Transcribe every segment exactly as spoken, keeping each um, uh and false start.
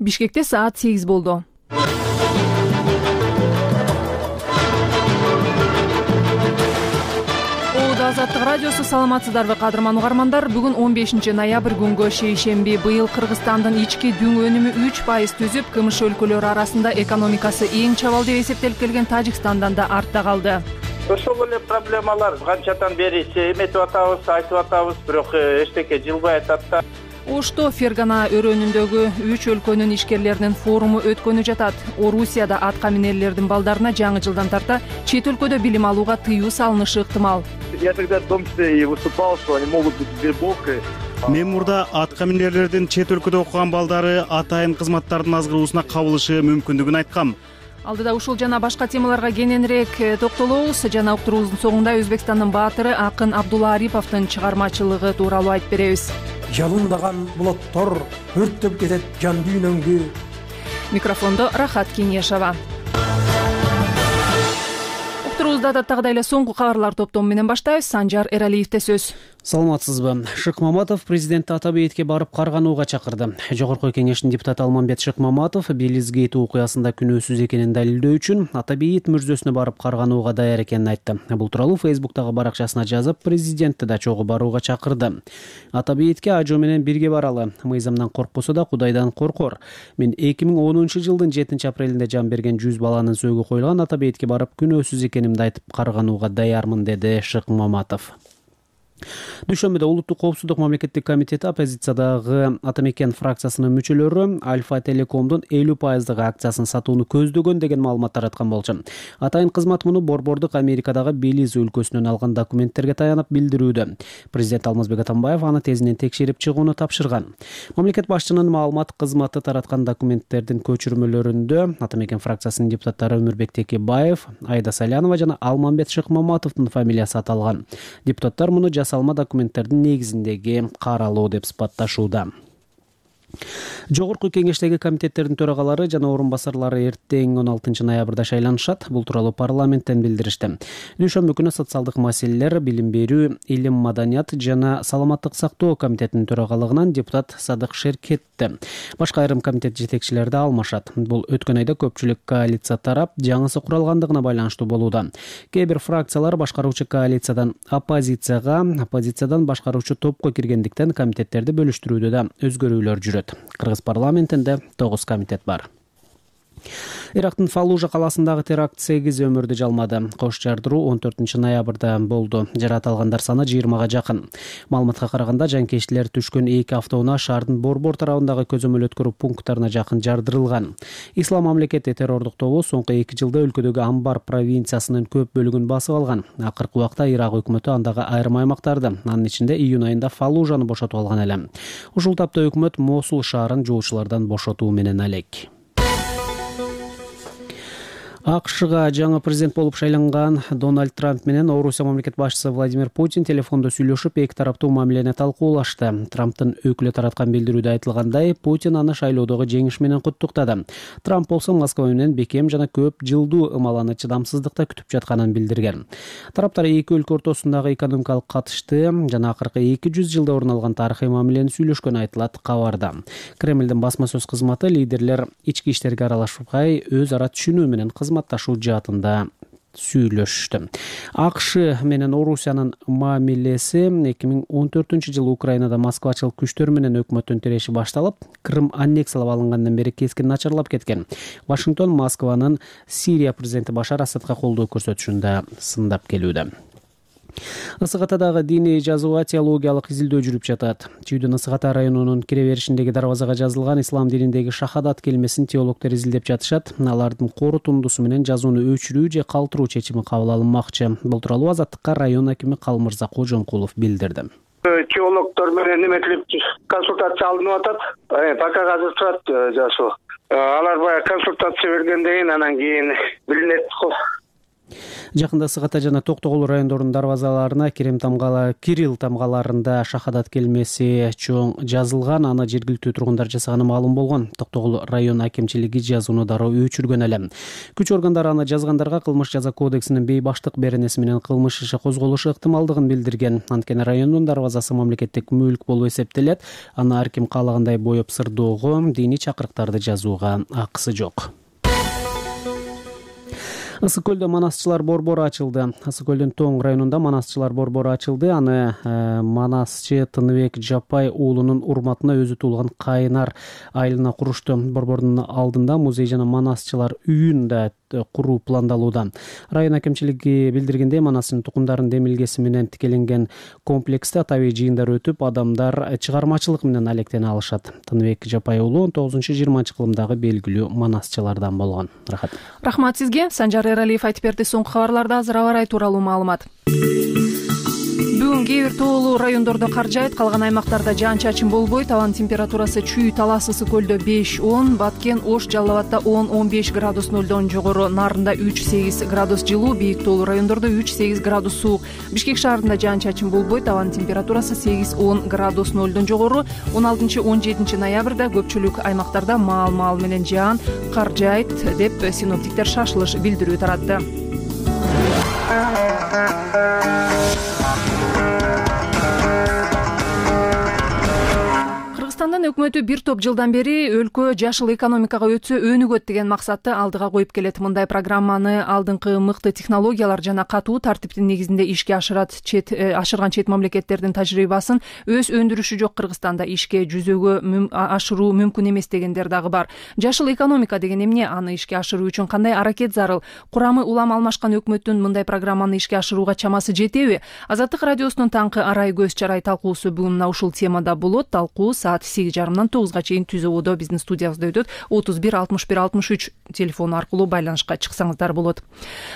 Бишкекте саат сегиз болду. Азаттык радиосу, саламатсыздарбы кадырман угармандар? Бүгүн он бешинчи ноябрь күнгө шейшемби. Быйыл Кыргызстандын ички дүң өнүмү үч пайыз түзүп, КМШ өлкөлөрү арасында экономикасы эң чабал деп эсептелип келген Тажикстандан да артта калды. Ошол эле проблемалар канчадан бери эметип атабыз, айтып атабыз, бирок эчтеке жылбай атат да. Ошто Фергана өрөөнүндөгү үч өлкөнүн ишкерлеринин форуму өткөнү жатат. Орусияда атка минерлердин балдарына жаңы жылдан тарта чет өлкөдө билим алууга тыюу салынышы ыктымал. Я тогда в том числе и выступал, что они могут быть вербовкой. Мен мурда атка минерлердин чет өлкөдө окуган балдары атайын кызматтардын азгыруусуна кабылышы мүмкүндүгүн айткам. Алдыда ушул жана башка темаларга кененирээк токтолобуз. Жана уктуруубуздун соңунда Өзбекстандын баатыры акын Абдулла Ариповдун чыгармачылыгы тууралуу айтып беребиз. Жалындаган булуттар өрттөп кетет жан дүйнөңдү. Микрофондо Рахат Кеңешова. Уктуруубузду адаттагыдай эле соңку кабарлар топтому менен баштайбыз. Санжар Эралиевде сөз. Саламатсызбы. Шыкмаматов президент Атабейитке барып карганууга чакырды. Жогорку кеңештин депутаты Алмамбет Шыкмаматов Белизгейт окуясында күнөөсүз экенин далилдөө үчүн Атабейит мүрзөсүнө барып карганууга даяр экенин айтты. Бул тууралуу Фейсбуктагы баракчасына жазып, президентти да чогуу барууга чакырды. Атабейитке ажоо менен бирге баралы. Мыйзамдан коркпосо да Кудайдан коркор. Мен эки миң онунчу жылдын жетинчи апрелинде жан берген жүз баланын сөөгү коюлган Атабейитке барып күнөөсүз экенимди айтып карганууга даярмын, деди Шыкмаматов. Дүйшөмбүдө Улуттук коопсуздук мамлекеттик комитети оппозициядагы Атамекен фракциясынын мүчөлөрү Альфа Телекомдун элүү пайыздык акциясын сатууну көздөгөн деген маалымат тараткан болчу. Атайын кызмат муну борбордук Америкадагы Белиз өлкөсүнөн алган документтерге таянып билдирүүдө. Президент Алмазбек Атамбаев аны тезинен текшерип чыгууну тапшырган. Мамлекет башчынын маалымат кызматы тараткан документтердин көчүрмөлөрүндө Атамекен фракциясынын депутаттары Өмүрбек Текебаев, Айда Салянова жана Алмамбет Шыкмаматовдун фамилиясы аталган. Депутаттар муну жасалма документтердин негизиндеги каралуу деп сыпатташууда. Жогорку кеңештеги комитеттердин төрагалары жана орун басарлары эртең он алтынчы ноябрда шайланышат. Бул тууралуу парламенттен билдиришти. Дүйшөмбү күнү социалдык маселелер, билим берүү, илим, маданият жана саламаттык сактоо комитетинин төрагалыгынан депутат Садык Шеркетти. Башка айрым комитет жетекчилери да алмашат. Бул өткөн айда көпчүлүк коалиция тарап жаңысы куралгандыгына байланыштуу болууда. Кээ бир фракциялар башкаруучу коалициядан оппозицияга, оппозициядан башкаруучу топко киргендиктен комитеттерди бөлүштүрүүдө да өзгөрүүлөр жүрөт. Кыргыз парламентинде тогуз комитет бар. Ирактын Фаллужа каласындагы теракт сегиз өмүрдү жалмады. Кош жардыруу он төртүнчү ноябрда болду. Жаракат алгандар саны жыйырмага жакын. Маалыматка караганда жанкечтилер түшкөн эки автоунаа шаардын Борбор тарабындагы көзөмөл өткөрүү пункттарына жакын жардырылган. Ислам мамлекети террордук тобу соңку эки жылда өлкөдөгү Амбар провинциясынын көп бөлүгүн басып алган. Акыркы убакта Ирак өкмөтү андагы айрым аймактарды, анын ичинде июнь айында Фаллужаны бошотуп алган эле. Ушул тапта өкмөт Мосул шаарын жуучулардан бошотуу менен алек. АКШга жаңы президент болуп шайланган Дональд Трамп менен Орусия мамлекет башчысы Владимир Путин телефондо сүйлөшүп, эки тараптуу мамилени талкуулашты. Трамптын өкүлү тараткан билдирүүдө айтылгандай, Путин аны шайлоодогу жеңиш менен куттуктады. Трамп болсо Москва менен бекем жана көп жылдуу ымаланы чыдамсыздыкта күтүп жатканын билдирген. Тараптар эки өлкө ортосундагы экономикалык катышты жана акыркы эки жүз жылда орун алган тарыхый мамилени сүйлөшкөнү айтылат кабарда. Кремлдин басма сөз кызматы лидерлер ички иштерге аралашпай өз ара түшүнүү менен кызматташуу жаатында сүйлөштү. АКШ менен Орусиянын мамилеси эки миң он төртүнчү жылы Украинада москвачылык күчтөр менен өкмөттүн тиреши башталып, Крым аннексиялап алынгандан бери кескин начарлап кеткен. Вашингтон Москванын Сирия президенти Башар Асадка колдоо көрсөтүшүн да сындап келүүдө. Ысык Атадагы диний жазуу теологиялык изилдөө жүрүп жатат. Чүйдүн Ысык Ата районунун кире беришиндеги дарбазага жазылган ислам дининдеги шахадат келмесин теологдор изилдеп жатышат. Алардын корутундусу менен жазууну өчүрүү же калтыруу чечими кабыл алынмакчы. Бул тууралуу Азаттыкка район акими Калмырза Кожомкулов билдирди. Теологдор менен неметилип консультация алынып атат. Пока азыр турат жасоо. Алар баягы консультация бергенден кийин анан кийин билинет. Жакында Сык Ата жана Токтогул райондорунун дарбазаларына Кирим тамгала Кирилл тамгаларында шахадат келмеси чоң жазылган. Аны жергиликтүү тургундар жасаганы маалым болгон. Токтогул район акимчилиги жазууну дароо өчүргөн эле. Күч органдары аны жазгандарга кылмыш жаза кодексинин бейбаштык беренеси менен кылмыш иши козголушу ыктымалдыгын билдирген. Анткени райондун дарбазасы мамлекеттик мүлк болуп эсептелет. Аны ар ким каалагандай боеп сырдоого, диний чакырыктарды жазууга акысы жок. Ысык көлдө манасчылар борбору ачылды. Ысык көлдүн Тоң районунда манасчылар борбору ачылды. Аны э, манасчы Тыныбек Жапай уулунун урматына өзү туулган Кайнар айылына курушту. Борбордун алдында музей жана манасчылар үйүн да куруу пландалууда. Район акимчилиги билдиргендей, манастын тукумдарын демилгеси менен тикеленген комплексте табий жыйындар өтүп, адамдар чыгармачылык менен алектене алышат. Тыныбек Жапай уулу он тогузунчу жыйырманчы кылымдагы белгилүү манасчылардан болгон. Рахат. Рахмат сизге. Санжар Эралиев айтып берди. Соңку кабарларда азыр аба ырайы тууралуу маалымат. Бүгүн кээ бир тоолуу райондордо кар жаайт, калган аймактарда жаан-чачын болбойт. Абанын температурасы Чүй, Талас, Ысык көлдө беш он, Баткен, Ош, Жалал Абадта он он беш градус нөлдөн жогору, Нарында үч сегиз градус жылуу, бийик тоолуу райондордо үч сегиз градус суук. Бишкек шаарында жаан-чачын болбойт. Абанын температурасы сегиз он градус нөлдөн жогору. он алтынчы он жетинчи ноябрда көпчүлүк аймактарда маал-маал менен жаан, кар жаайт деп синоптиктер шашылыш билдирүү таратты. Кыргызстандын өкмөтү бир топ жылдан бери өлкө жашыл экономикага өтсө өнүгөт деген максатты алдыга коюп келет. Мындай программаны алдыңкы мыкты технологиялар жана катуу тартиптин негизинде ишке ашырат. Чет ашырган чет мамлекеттердин тажрыйбасын өз өндүрүшү жок Кыргызстанда ишке жүзөгө мүм, ашыруу мүмкүн эмес дегендер дагы бар. Жашыл экономика деген эмне? Аны ишке ашыруу үчүн кандай аракет зарыл? Курамы улам алмашкан өкмөттүн мындай программаны ишке ашырууга чамасы жетеби? Азаттык радиосунун таңкы арай көз чарай талкуусу бүгүн мына ушул темада болот. Талкуу саат сегиз жарымдан тогузга чейин Түз ободо биздин студиябызда өтөт. отуз бир алтымыш бир алтымыш үч телефону аркылуу байланышка чыксаңыздар болот.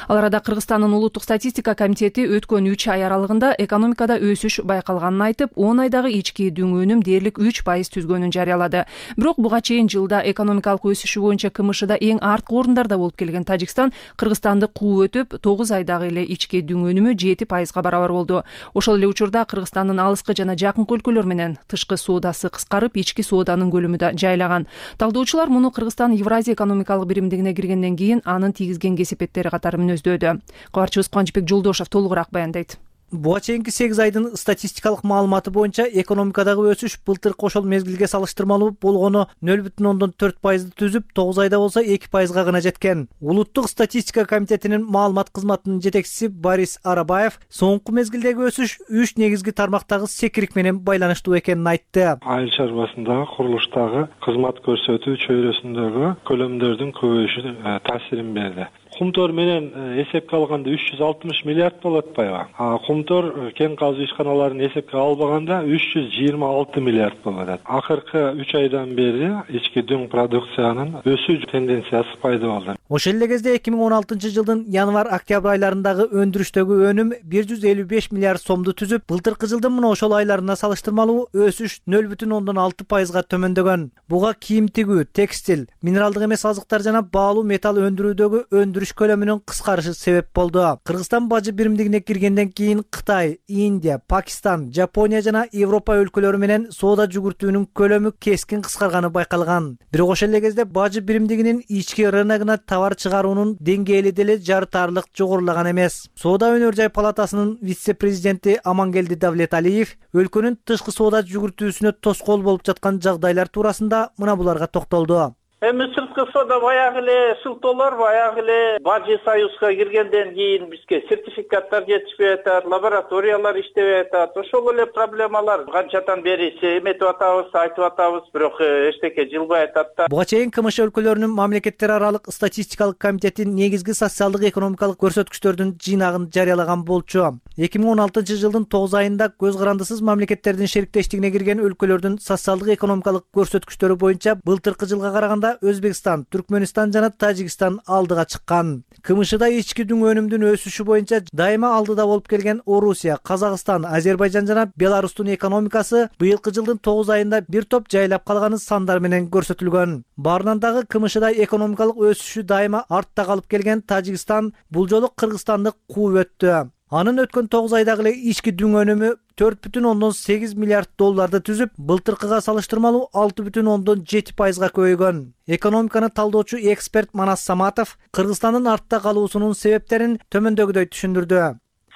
Ал арада Кыргызстандын улуттук статистика комитети өткөн үч ай аралыгында экономикада өсүш байкалганын айтып, он айдагы ички дүң өнүм дээрлик үч пайыз түзгөнүн жарыялады. Бирок буга чейин жылда экономикалык өсүшү боюнча КМШда эң арткы орундарда болуп келген Тажикстан Кыргызстанды кууп өтүп, тогуз айдагы эле ички дүң өнүмү жети пайызга барабар болду. Ошол эле учурда Кыргызстандын алыскы жана жакынкы өлкөлөр менен тышкы соодасы кыскарып, ички сооданын көлөмү да жайлаган. Талдоочулар муну Кыргызстан Евразия экономикалык биримдигине киргенден кийин анын тийгизген кесепеттери катары мүнөздөдү. Кабарчыбыз Кубанычбек Жолдошов толугураак баяндайт. Буга чейинки сегиз айдын статистикалык маалыматы боюнча экономикадагы өсүш былтыркы ошол мезгилге салыштырмалуу болгону нөл бүтүн ондон төрт пайызды түзүп, тогуз айда болсо эки пайызга гана жеткен. Улуттук статистика комитетинин маалымат кызматынын жетекчиси Борис Арабаев соңку мезгилдеги өсүш үч негизги тармактагы секирик менен байланыштуу экенин айтты. Айыл чарбасындагы, курулуштагы, кызмат көрсөтүү чөйрөсүндөгү көлөмдөрдүн көбөйүшү таасирин берди. Кумтор менен эсепке алганда үч жүз алтымыш миллиард болот атпайбы? А кумтор кен казуу ишканаларын эсепке албаганда үч жүз жыйырма алты миллиард болот. Акыркы үч айдан бери ички дүң продукциянын өсүү тенденциясы пайда болду. Ошол эле кезде эки миң он алтынчы жылдын январь-октябрь айларындагы өндүрүштөгү өнүм бир жүз элүү беш миллиард сомду түзүп, былтыркы жылдын мына ошол айларына салыштырмалуу өсүш нөл бүтүн ондон алты пайызга төмөндөгөн. Буга кийим тигүү, текстиль, минералдык эмес азыктар жана баалуу металл өндүрүүдөгү өндүрүш көлөмүнүн кыскарышы себеп болду. Кыргызстан бажы биримдигине киргенден кийин Кытай, Индия, Пакистан, Жапония жана Европа өлкөлөрү менен соода жүгүртүүнүн көлөмү кескин кыскарганы байкалган. Бирок ошол эле кезде бажы биримдигинин ички рыногуна товар чыгаруунун деңгээли деле жарытарлык жогорулаган эмес. Соода өнөр жай палатасынын вице-президенти Амангелди Давлеталиев өлкөнүн тышкы соода жүгүртүүсүнө тоскоол болуп жаткан жагдайлар туурасында мына буларга токтолду. Эми сырткы соода баягы эле шылтоолор, баягы эле бажы союзга киргенден кийин бизге сертификаттар жетишпей атат, лабораториялар иштебей атат. Ошол эле проблемалар канчадан бери эметип атабыз, айтып атабыз, бирок эчтеке жылбай атат да. Буга чейин КМШ өлкөлөрүнүн мамлекеттер аралык статистикалык комитети негизги социалдык экономикалык көрсөткүчтөрдүн жыйнагын жарыялаган болчу. эки миң он алтынчы жылдын тогуз айында көз карандысыз мамлекеттердин шериктештигине кирген өлкөлөрдүн социалдык экономикалык көрсөткүчтөрү боюнча былтыркы жылга караганда айында Өзбекстан, Түркмөнстан жана Тажикстан алдыга чыккан. КМШда ички дүң өнүмдүн өсүшү боюнча дайыма алдыда болуп келген Орусия, Казакстан, Азербайжан жана Беларустун экономикасы быйылкы жылдын тогуз айында бир топ жайлап калганы сандар менен көрсөтүлгөн. Баарынан дагы КМШда экономикалык өсүшү дайыма артта калып келген Тажикстан бул жолу Кыргызстанды кууп өттү. Анын өткөн тогуз айдагы эле ички дүң өнүмү төрт бүтүн ондон сегиз миллиард долларды түзүп, былтыркыга салыштырмалуу алты бүтүн ондон жети пайызга көбөйгөн. Экономиканы талдоочу эксперт Манас Саматов Кыргызстандын артта калуусунун себептерин төмөндөгүдөй түшүндүрдү.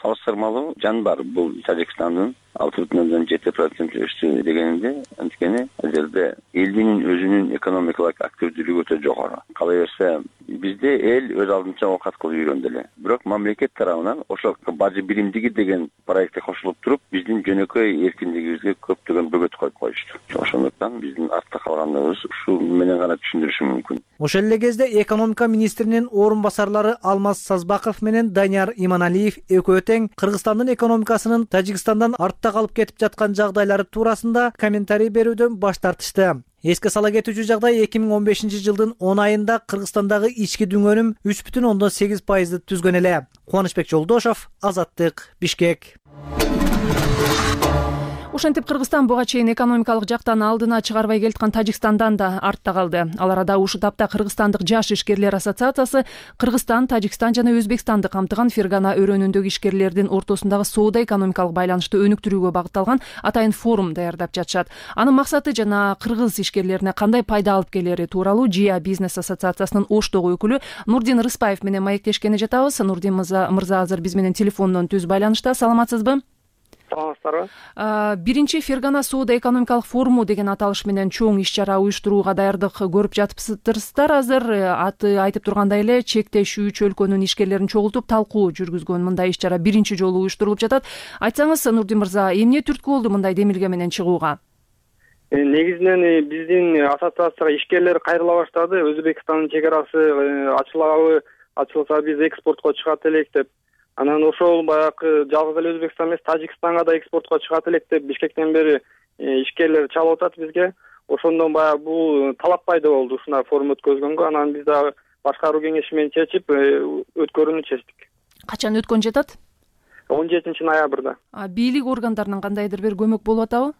Салыштырмалуу жан бар бул Тажикстандын алты бүтүн ондон жети процент өстү дегенинде, анткени ал жерде элдин өзүнүн экономикалык активдүүлүгү өтө жогору. Кала берсе, бизде эл өз алдынча оокат кылып жүргөн эле. Бирок мамлекет тарабынан ошол бажы биримдиги деген проектке кошулуп туруп, биздин жөнөкөй эркиндигибизге көптөгөн бөгөт коюп коюшту. Ошондуктан биздин артта калганыбыз ушул менен гана түшүндүрүшүм мүмкүн. Ошол эле кезде экономика министринин орун басарлары Алмаз Сазбаков менен Данияр Иманалиев экөө тең Кыргызстандын экономикасынын Тажикстандан артта калып кетип жаткан жагдайлары туурасында комментарий берүүдөн баш тартышты. Эске сала кетүүчү жагдай эки миң он бешинчи жылдын он айында Кыргызстандагы ички дүң өнүм үч бүтүн ондон сегиз пайызды түзгөн эле. Кубанычбек Жолдошов, Азаттык, Бишкек. Ошентип Кыргызстан буга чейин экономикалык жактан алдына чыгарбай келаткан Тажикстандан да артта калды. Ал арада ушул тапта Кыргызстандык жаш ишкерлер ассоциациясы Кыргызстан, Тажикстан жана Өзбекстанды камтыган Фергана өрөөнүндөгү ишкерлердин ортосундагы соода экономикалык байланышты өнүктүрүүгө багытталган атайын форум даярдап жатышат. Анын максаты жана кыргыз ишкерлерине кандай пайда алып келери тууралуу Жия бизнес ассоциациясынын Оштогу өкүлү Нурдин Рыспаев менен маектешкени жатабыз. Нурдин мырза азыр биз менен телефондон түз байланышта. Саламатсызбы? Саламатсыздарбы? Биринчи Фергана соода экономикалык форуму деген аталыш менен чоң иш-чара уюштурууга даярдык көрүп жатыпсыздар. Азыр аты айтып тургандай эле чектеш үч өлкөнүн ишкерлерин чогултуп талкуу жүргүзгөн мындай иш-чара биринчи жолу уюштурулуп жатат. Айтсаңыз, Нурдин мырза, эмне түрткү болду мындай демилге менен чыгууга? Негизинен биздин ассоциацияга ишкерлер кайрыла баштады. Өзбекстандын чек арасы ачылабы, ачылса биз экспортко чыгат элек деп. Анан ошол баягы жалгыз эле Өзбекстан эмес, Тажикстанга да экспортко чыгат элек деп Бишкектен бери ишкерлер чалып атат бизге. Ошондон баягы бул талап пайда болду ушундай форум өткөзгөнгө. Анан биз дагы башкаруу кеңеши менен чечип өткөрүүнү чечтик. Качан өткөн жатат? он жетинчи ноябрда. А бийлик органдарынын кандайдыр бир көмөк болуп атабы?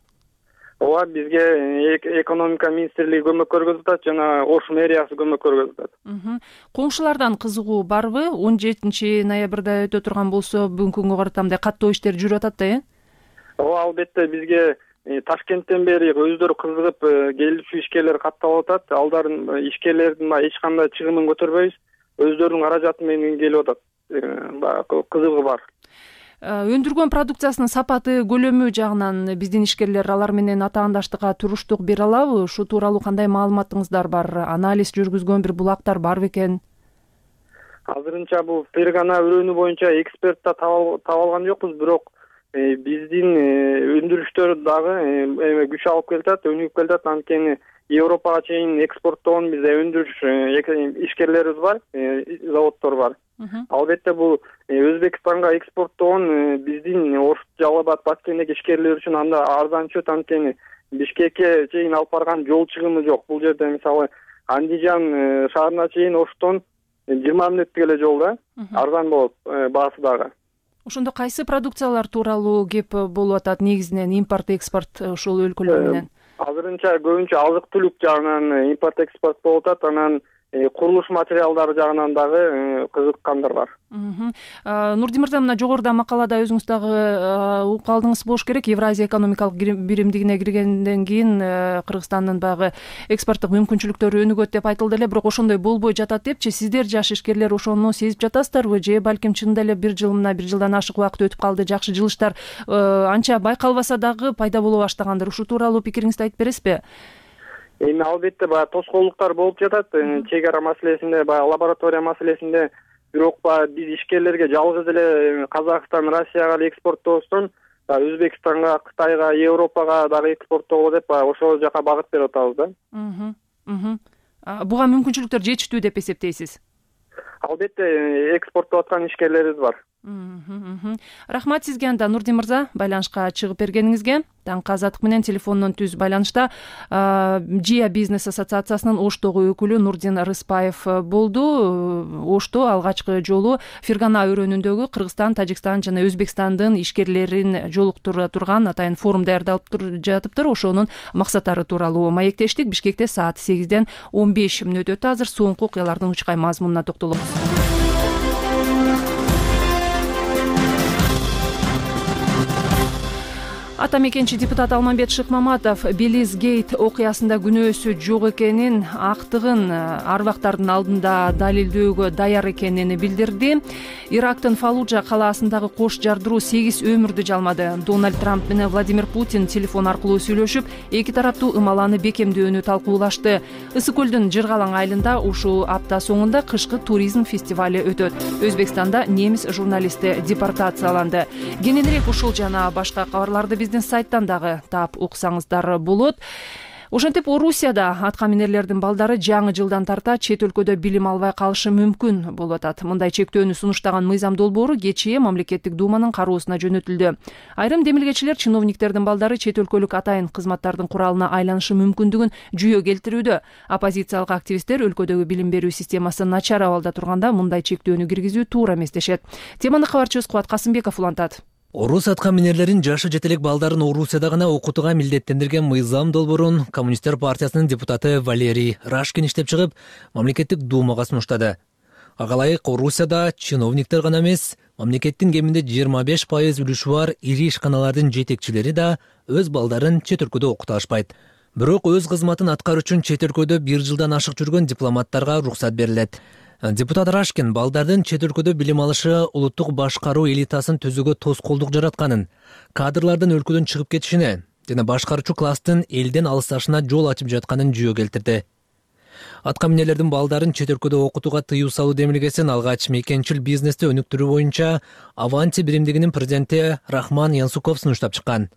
Ооба, бизге экономика министрлиги көмөк көргөзүп атат жана Ош мэриясы көмөк көргөзүп атат. Коңшулардан кызыгуу барбы? он жетинчи ноябрда өтө турган болсо, бүгүнкү күнгө карата мындай каттоо иштер жүрүп атат да, э? Ооба, албетте бизге Ташкенттен бери өздөрү кызыгып келүүчү ишкерлер катталып атат. Алдарын ишкерлердин эч кандай чыгымын көтөрбөйбүз. Өздөрүнүн каражаты менен келип атат. Баягы кызыгуу бар. Өндүргөн продукциясынын сапаты, көлөмү жагынан биздин ишкерлер алар менен атаандаштыкка туруштук бере алабы? Ушу тууралуу кандай маалыматыңыздар бар? Анализ жүргүзгөн бир булактар барбы экен? Азырынча бул Фергана өрөөнү боюнча эксперт да таба алган жокпуз, бирок биздин өндүрүштөр дагы күч алып келатат, өнүгүп келатат. Анткени Европага чейин экспорттогон бизде өндүрүш ишкерлерибиз бар, заводдор бар. Албетте бул Өзбекстанга экспорттогон биздин Ош, Жалал Абад, Баткендеги ишкерлер үчүн анда арзан түшөт. Анткени Бишкекке чейин алып барган жол чыгымы жок. Бул жерде мисалы Андижан шаарына чейин Оштон жыйырма мүнөттүк эле жол да, арзан болот баасы дагы. Ошондо кайсы продукциялар тууралуу кеп болуп атат? Негизинен импорт, экспорт ушул өлкөлөр менен? Азырынча көбүнчө азык-түлүк жагынан импорт, экспорт болуп атат. Анан курулуш материалдары жагынан дагы кызыккандар бар. Нурдин мырза, мына жогоруда макалада өзүңүз дагы угуп калдыңыз болуш керек. Евразия экономикалык биримдигине киргенден кийин Кыргызстандын баягы экспорттук мүмкүнчүлүктөрү өнүгөт деп айтылды эле, бирок ошондой болбой жатат депчи. Сиздер жаш ишкерлер ошону сезип жатасыздарбы? Же балким чынында эле бир жыл мына бир жылдан ашык убакыт өтүп калды, жакшы жылыштар анча байкалбаса дагы пайда боло баштагандыр. Ушул тууралуу пикириңизди айтып бересизби? Эми албетте баягы тоскоолдуктар болуп жатат. Чек ара маселесинде, баягы лаборатория маселесинде, бирок баягы биз ишкерлерге жалгыз эле Казакстан, Россияга эле экспорттобостон, Өзбекстанга, Кытайга, Европага дагы экспорттоолу деп баягы ошол жака багыт берип атабыз да. Буга мүмкүнчүлүктөр жетиштүү деп эсептейсиз? Албетте экспорттоп аткан ишкерлерибиз бар. Рахмат сизге анда Нурдин мырза, байланышка чыгып бергениңизге. Таңкы азаттык менен телефондон түз байланышта Жия бизнес ассоциациясынын Оштогу өкүлү Нурдин Рыспаев болду. Ошто алгачкы жолу Фергана өрөөнүндөгү Кыргызстан, Тажикстан жана Өзбекстандын ишкерлерин жолуктура турган атайын форум даярдалып жатыптыр. Ошонун максаттары тууралуу маектештик. Бишкекте саат сегизден он беш мүнөт өтө. Азыр соңку окуялардын учкай мазмунуна токтолобуз. Ата мекенчи депутат Алмамбет Шыкмаматов Белиз Гейт окуясында күнөөсү жок экенин, актыгын арбактардын алдында далилдөөгө даяр экенин билдирди. Ирактын Фаллуджа калаасындагы кош жардыруу сегиз өмүрдү жалмады. Дональд Трамп менен Владимир Путин телефон аркылуу сүйлөшүп, эки тараптуу ымаланы бекемдөөнү талкуулашты. Ысык көлдүн Жыргалаң айылында ушул апта соңунда кышкы туризм фестивали өтөт. Өзбекстанда немис журналисти депортацияланды. Кененирээк ушул жана башка кабарларды биздин сайттан дагы таап уксаңыздар болот. Ошентип Орусияда аткаминерлердин балдары жаңы жылдан тарта чет өлкөдө билим албай калышы мүмкүн болуп атат. Мындай чектөөнү сунуштаган мыйзам долбоору кечээ мамлекеттик думанын кароосуна жөнөтүлдү. Айрым демилгечилер чиновниктердин балдары чет өлкөлүк атайын кызматтардын куралына айланышы мүмкүндүгүн жүйө келтирүүдө. Оппозициялык активисттер өлкөдөгү билим берүү системасы начар абалда турганда мындай чектөөнү киргизүү туура эмес дешет. Теманы кабарчыбыз Кубат Касымбеков улантат. Орус аткаминерлерин жашы жетелек балдарын Орусияда гана окутууга милдеттендирген мыйзам долбоорун Коммунисттер партиясынын депутаты Валерий Рашкин иштеп чыгып, мамлекеттик думага сунуштады. Ага ылайык Орусияда чиновниктер гана эмес, мамлекеттин кеминде жыйырма беш пайыз үлүшү бар ири ишканалардын жетекчилери да өз балдарын чет өлкөдө окута алышпайт. Бирок өз кызматын аткаруу үчүн чет өлкөдө бир жылдан ашык жүргөн дипломаттарга уруксат берилет. Депутат Рашкин балдардын чет өлкөдө билим алышы улуттук башкаруу элитасын түзүүгө тоскоолдук жаратканын, кадрлардын өлкөдөн чыгып кетишине жана башкаруучу класстын элден алысташына жол ачып жатканын жүйө келтирди. Аткаминерлердин балдарын чет өлкөдө окутууга тыюу салуу демилгесин алгач мекенчил бизнести өнүктүрүү боюнча Аванти биримдигинин президенти Рахман Янсуков сунуштап чыккан.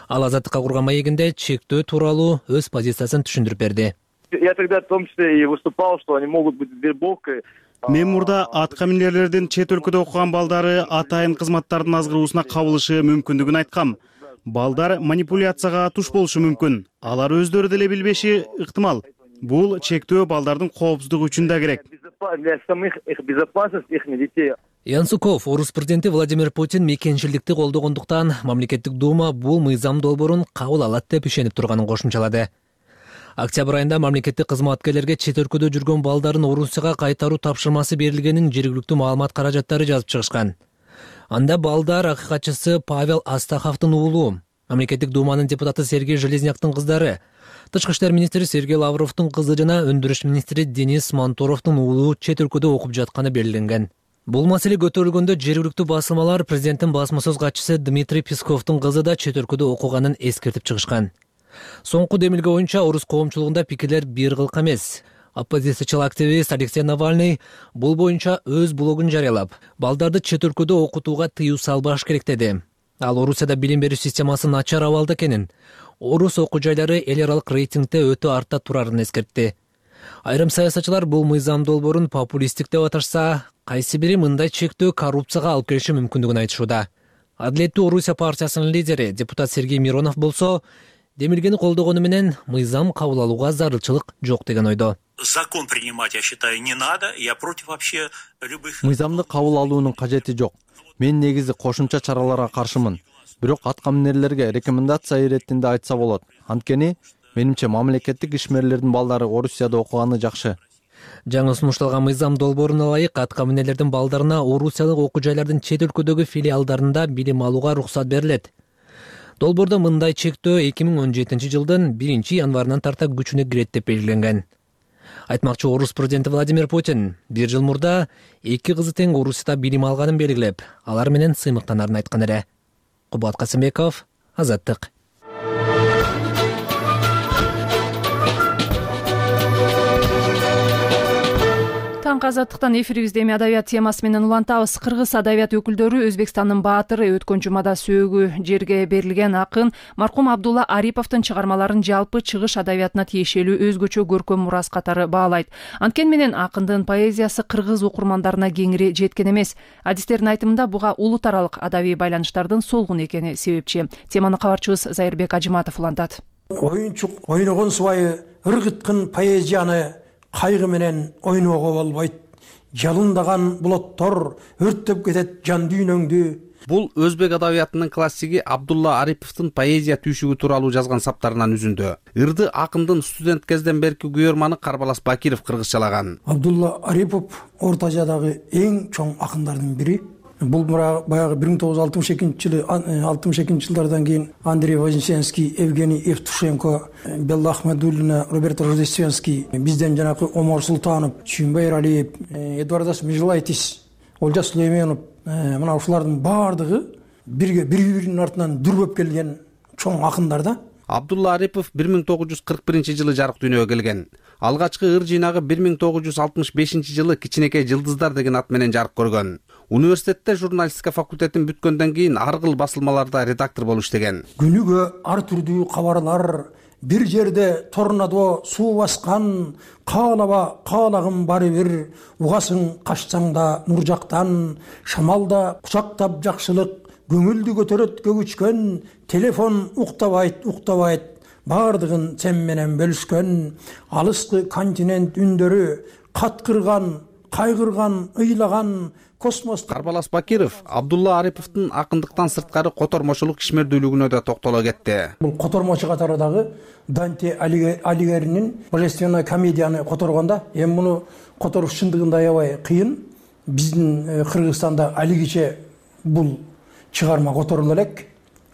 Ал Азаттыкка курган маегинде чектөө тууралуу өз позициясын түшүндүрүп берди. Я тогда в том числе и выступал, что они могут быть вербовкой. Мен мурда аткаминерлердин чет өлкөдө окуган балдары атайын кызматтардын азгыруусуна кабылышы мүмкүндүгүн айткам. Балдар манипуляцияга туш болушу мүмкүн. Алар өздөрү деле билбеши ыктымал. Бул чектөө балдардын коопсуздугу үчүн да керек. Для самих их безопасности их детей. Янсуков, Орус президенти Владимир Путин мекенчилдикти колдогондуктан мамлекеттик дума бул мыйзам долбоорун кабыл алат деп ишенип турганын кошумчалады. Октябрь айында мамлекеттик кызматкерлерге чет өлкөдө жүргөн балдарын Орусияга кайтаруу тапшырмасы берилгенин жергиликтүү маалымат каражаттары жазып чыгышкан. Анда балдар акыйкатчысы Павел Астаховдун уулу, мамлекеттик думанын депутаты Сергей Железняктын кыздары, тышкы иштер министри Сергей Лавровдун кызы жана өндүрүш министри Денис Мантуровдун уулу чет өлкөдө окуп жатканы белгиленген. Бул маселе көтөрүлгөндө жергиликтүү басылмалар президенттин басма сөз катчысы Дмитрий Песковдун кызы да чет өлкөдө окуганын эскертип чыгышкан. Соңку демилге боюнча орус коомчулугунда пикирлер бир кылка эмес. Оппозициячыл активист Алексей Навальный бул боюнча өз блогун жарыялап, балдарды чет өлкөдө окутууга тыюу салбаш керек деди. Ал Орусияда билим берүү системасы начар абалда экенин, орус окуу жайлары эл аралык рейтингде өтө артта турарын эскертти. Айрым саясатчылар бул мыйзам долбоорун популисттик деп аташса, кайсы бири мындай чектөө коррупцияга алып келиши мүмкүндүгүн айтышууда. Адилеттүү Орусия партиясынын лидери депутат Сергей Миронов болсо, демилгени колдогону менен мыйзам кабыл алууга зарылчылык жок деген ойдо. Закон принимать, я считаю, не надо. Я против вообще любых. Мыйзамды кабыл алуунун кажети жок. Мен негизи кошумча чараларга каршымын. Бирок аткаминерлерге рекомендация иретинде айтса болот. Анткени менимче мамлекеттик ишмерлердин балдары Орусияда окуганы жакшы. Жаңы сунушталган мыйзам долбооруна ылайык аткаминерлердин балдарына Орусиялык окуу жайлардын чет өлкөдөгү филиалдарында билим алууга уруксат берилет. Долбоордо мындай чектөө эки миң он жетинчи жылдын биринчи январынан тарта күчүнө кирет деп белгиленген. Айтмакчы орус президенти Владимир Путин бир жыл мурда эки кызы тең Орусияда билим алганын белгилеп, алар менен сыймыктанарын айткан эле. Кубат Касымбеков, Азаттык. Таңкы Азаттыктан эфирибизде эми адабият темасы менен улантабыз. Кыргыз адабият өкүлдөрү Өзбекстандын баатыры, өткөн жумада сөөгү жерге берилген акын маркум Абдулла Ариповдун чыгармаларын жалпы чыгыш адабиятына тиешелүү өзгөчө көркөм мурас катары баалайт. Анткени менен акындын поэзиясы кыргыз окурмандарына кеңири жеткен эмес. Адистердин айтымында буга улут аралык адабий байланыштардын солгун экени себепчи. Теманы кабарчыбыз Зайырбек Ажиматов улантат. Оюнчук ойногон субайы ыргыткын поэзияны кайгы менен ойноого болбойт. Жалындаган булоттор өрттөп кетет жан дүйнөңдү. Бул өзбек адабиятынын классиги Абдулла Ариповдун поэзия түйшүгү тууралуу жазган саптарынан үзүндү. Ырды акындын студент кезден берки күйөрманы Карбалас Бакиров кыргызчалаган. Абдулла Арипов Орто Азиядагы эң чоң акындардын бири. Бул баягы бир миң тогуз жүз алтымыш экинчи жылы алтымыш экинчи жылдардан кийин Андрей Вознесенский, Евгений Евтушенко, Белла Ахмадуллина, Роберто Рождественский, бизден жанакы Омар Султанов, Чүйүнбай Эралиев, Эдуардас Межелайтис, Олжас Сүлейменов, мына ушулардын баардыгы бирге бири-биринин артынан дүрбөп келген чоң акындар да. Абдулла Арипов бир миң тогуз жүз кырк биринчи жылы жарык дүйнөгө келген. Алгачкы ыр жыйнагы бир миң тогуз жүз алтымыш бешинчи жылы Кичинекей жылдыздар деген ат менен жарык көргөн. Университетте журналистика факультетин бүткөндөн кийин ар кыл басылмаларда редактор болуп иштеген. Күнүгө ар түрдүү кабарлар, бир жерде торнадо суу баскан, каалаба каалагым баары бир, угасың качсаң да нур жактан, шамалда кучактап жакшылык, көңүлдү көтөрөт көгүчкөн, телефон уктабайт, уктабайт, баардыгын сен менен бөлүшкөн, алыскы континент үндөрү, каткырган, кайгырган, ыйлаган, космос. Карбалас Бакиров Абдулла Ариповдун акындыктан сырткары котормочулук ишмердүүлүгүнө да токтоло кетти. Бул котормочу катары дагы Данте Алигеринин Божественная комедияны которгондо, эми муну которуш чындыгында аябай кыйын. Биздин Кыргызстанда алигиче бул чыгарма которула элек.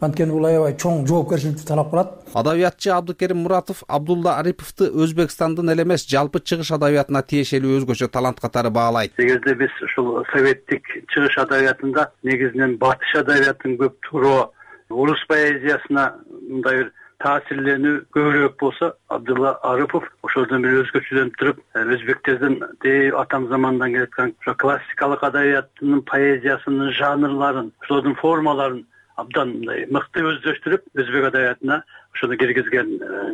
Анткени бул аябай чоң жоопкерчиликти талап кылат. Адабиятчы Абдыкерим Муратов Абдулла Ариповду Өзбекстандын эле эмес, жалпы чыгыш адабиятына тиешелүү өзгөчө талант катары баалайт. Эгерде биз ушул советтик чыгыш адабиятында негизинен батыш адабиятын көп туроо, орус поэзиясына мындай бир таасирленүү көбүрөөк болсо, Абдулла Арипов ошодон бир өзгөчөлөнүп туруп, өзбектердин атам замандан келаткан классикалык адабияттын поэзиясынын жанрларын, ошолордун формаларын абдан мындай мыкты өздөштүрүп, өзбек адабиятына ошону киргизген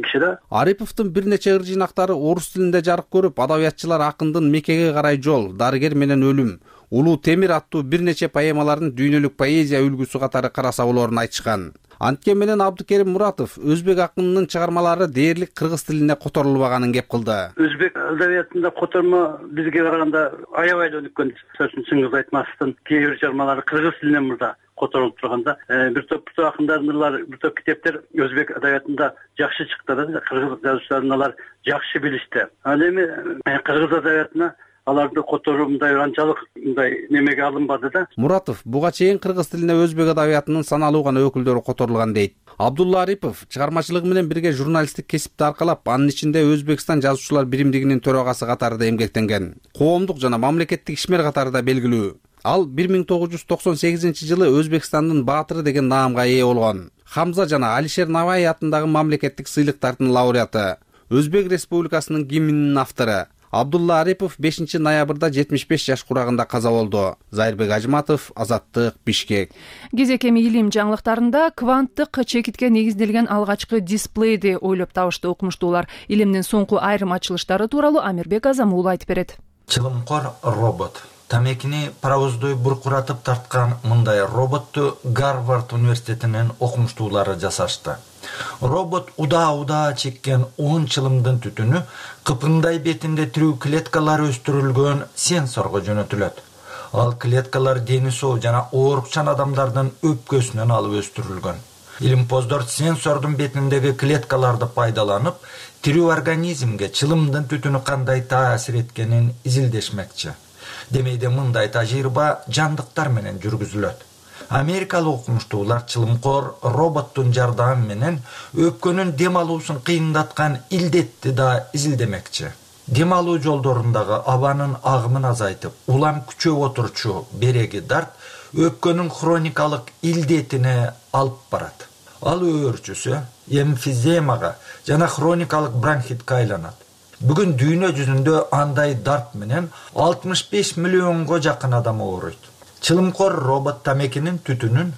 киши да. Ариповдун бир нече ыр жыйнактары орус тилинде жарык көрүп, адабиятчылар акындын Мекеге карай жол, Дарыгер менен өлүм, Улуу Темир аттуу бир нече поэмаларын дүйнөлүк поэзия үлгүсү катары караса болоорун айтышкан. Анткени менен Абдыкерим Муратов өзбек акынынын чыгармалары дээрлик кыргыз тилине которулбаганын кеп кылды. Өзбек адабиятында котормо бизге караганда аябай эле өнүккөн. Чыңгыз Айтматовдун кээ бир чыгармалары кыргыз тилинен мурда которулуп турганда, бир топ акындардын ырлары, бир топ китептер өзбек адабиятында жакшы чыкты да, кыргыз жазуучуларын алар жакшы билишти. Ал эми кыргыз адабиятына аларды которуу мындай анчалык мындай немеге алынбады да. Муратов буга чейин кыргыз тилине өзбек адабиятынын саналуу гана өкүлдөрү которулган дейт. Абдулла Арипов чыгармачылыгы менен бирге журналисттик кесипти аркалап, анын ичинде Өзбекстан жазуучулар биримдигинин төрагасы катарында эмгектенген. Коомдук жана мамлекеттик ишмер катарында белгилүү. Ал бир миң тогуз жүз токсон сегизинчи жылы Өзбекстандын баатыры деген наамга ээ болгон. Хамза жана Алишер Наваи атындагы мамлекеттик сыйлыктардын лауреаты, Өзбек Республикасынын гимнинин автору. Абдулла Арипов бешинчи ноябрда жетимиш беш жаш курагында каза болду. Зайырбек Ажиматов, Азаттык, Бишкек. Кезек эми илим жаңылыктарында кванттык чекитке негизделген алгачкы дисплейди ойлоп табышты окумуштуулар. Илимдин соңку айрым ачылыштары тууралуу Амирбек Азамуулу айтып берет. Чылымкор робот. Тамекини паровоздой буркуратып тарткан мындай роботту Гарвард университетинин окумуштуулары жасашты. Робот удаа-удаа чеккен он чылымдын түтүнү кыпындай бетинде тирүү клеткалар өстүрүлгөн сенсорго жөнөтүлөт. Ал клеткалар дени соо жана оорукчан адамдардын өпкөсүнөн алып өстүрүлгөн. Илимпоздор сенсордун бетиндеги клеткаларды пайдаланып, тирүү организмге чылымдын түтүнү кандай таасир эткенин изилдешмекчи. Демейде мындай тажрыйба жандыктар менен жүргүзүлөт. Америкалык окумуштуулар чылымкор роботтун жардамы менен өпкөнүн дем алуусун кыйындаткан илдетти да изилдемекчи. Дем алуу жолдорундагы абанын агымын азайтып, улам күчөп отурчу береги дарт өпкөнүн хроникалык илдетине алып барат. Ал өөрчүсү эмфиземага жана хроникалык бронхитке айланат. Бүгүн дүйнө жүзүндө андай дарт менен алтымыш беш миллионго жакын адам ооруйт. Чылымкор робот тамекинин түтүнүн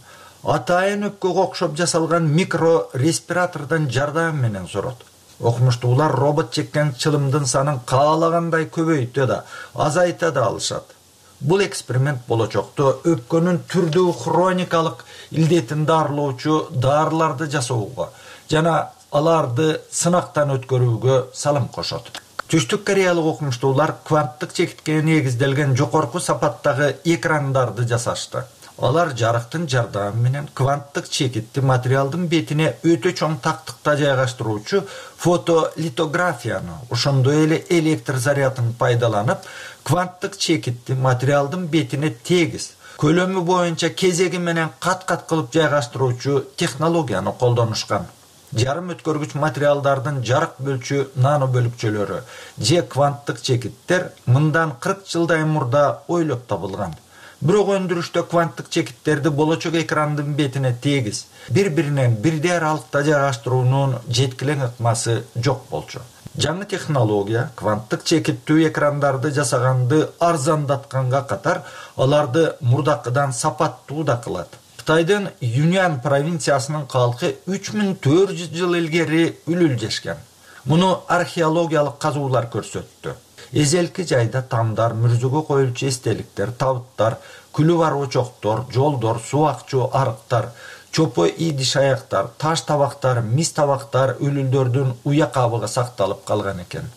атайын өпкөгө окшоп жасалган микро респиратордон жардам менен сорот. Окумуштуулар робот чеккен чылымдын санын каалагандай көбөйтө да, азайта да алышат. Бул эксперимент болочокто өпкөнүн түрдүү хроникалык илдетин дарылоочу дарыларды жасоого жана аларды сынактан өткөрүүгө салым кошот. Түштүк кореялык окумуштуулар кванттык чекитке негизделген жогорку сапаттагы экрандарды жасашты. Алар жарыктын жардамы менен кванттык чекитти материалдын бетине өтө чоң тактыкта жайгаштыруучу фотолитографияны, ошондой эле электр зарядын пайдаланып, кванттык чекитти материалдын бетине тегиз, көлөмү боюнча кезеги менен кат-кат кылып жайгаштыруучу технологияны колдонушкан. Жарым өткөргүч материалдардын жарык бөлчү нано бөлүкчөлөрү же кванттык чекиттер мындан кырк жылдай мурда ойлоп табылган. Бирок өндүрүштө кванттык чекиттерди болочок экрандын бетине тегиз, бири-биринен бирдей аралыкта жайгаштыруунун жеткилең ыкмасы жок болчу. Жаңы технология кванттык чекиттүү экрандарды жасаганды арзандатканга катар, аларды мурдакыдан сапаттуу да кылат. Кытайдын Юньан провинциясынын калкы үч миң төрт жүз жыл илгери үлүлжешкен. Муну археологиялык казуулар көрсөттү. Эзелки жайда тамдар, мүрзөгө коюлчу эстеликтер, табыттар, күлү бар очоктор, жолдор, суу акчу арыктар, чопо идиш аяктар, таш табактар, мис табактар үлүлдөрдүн уя кабыгы сакталып калган экен.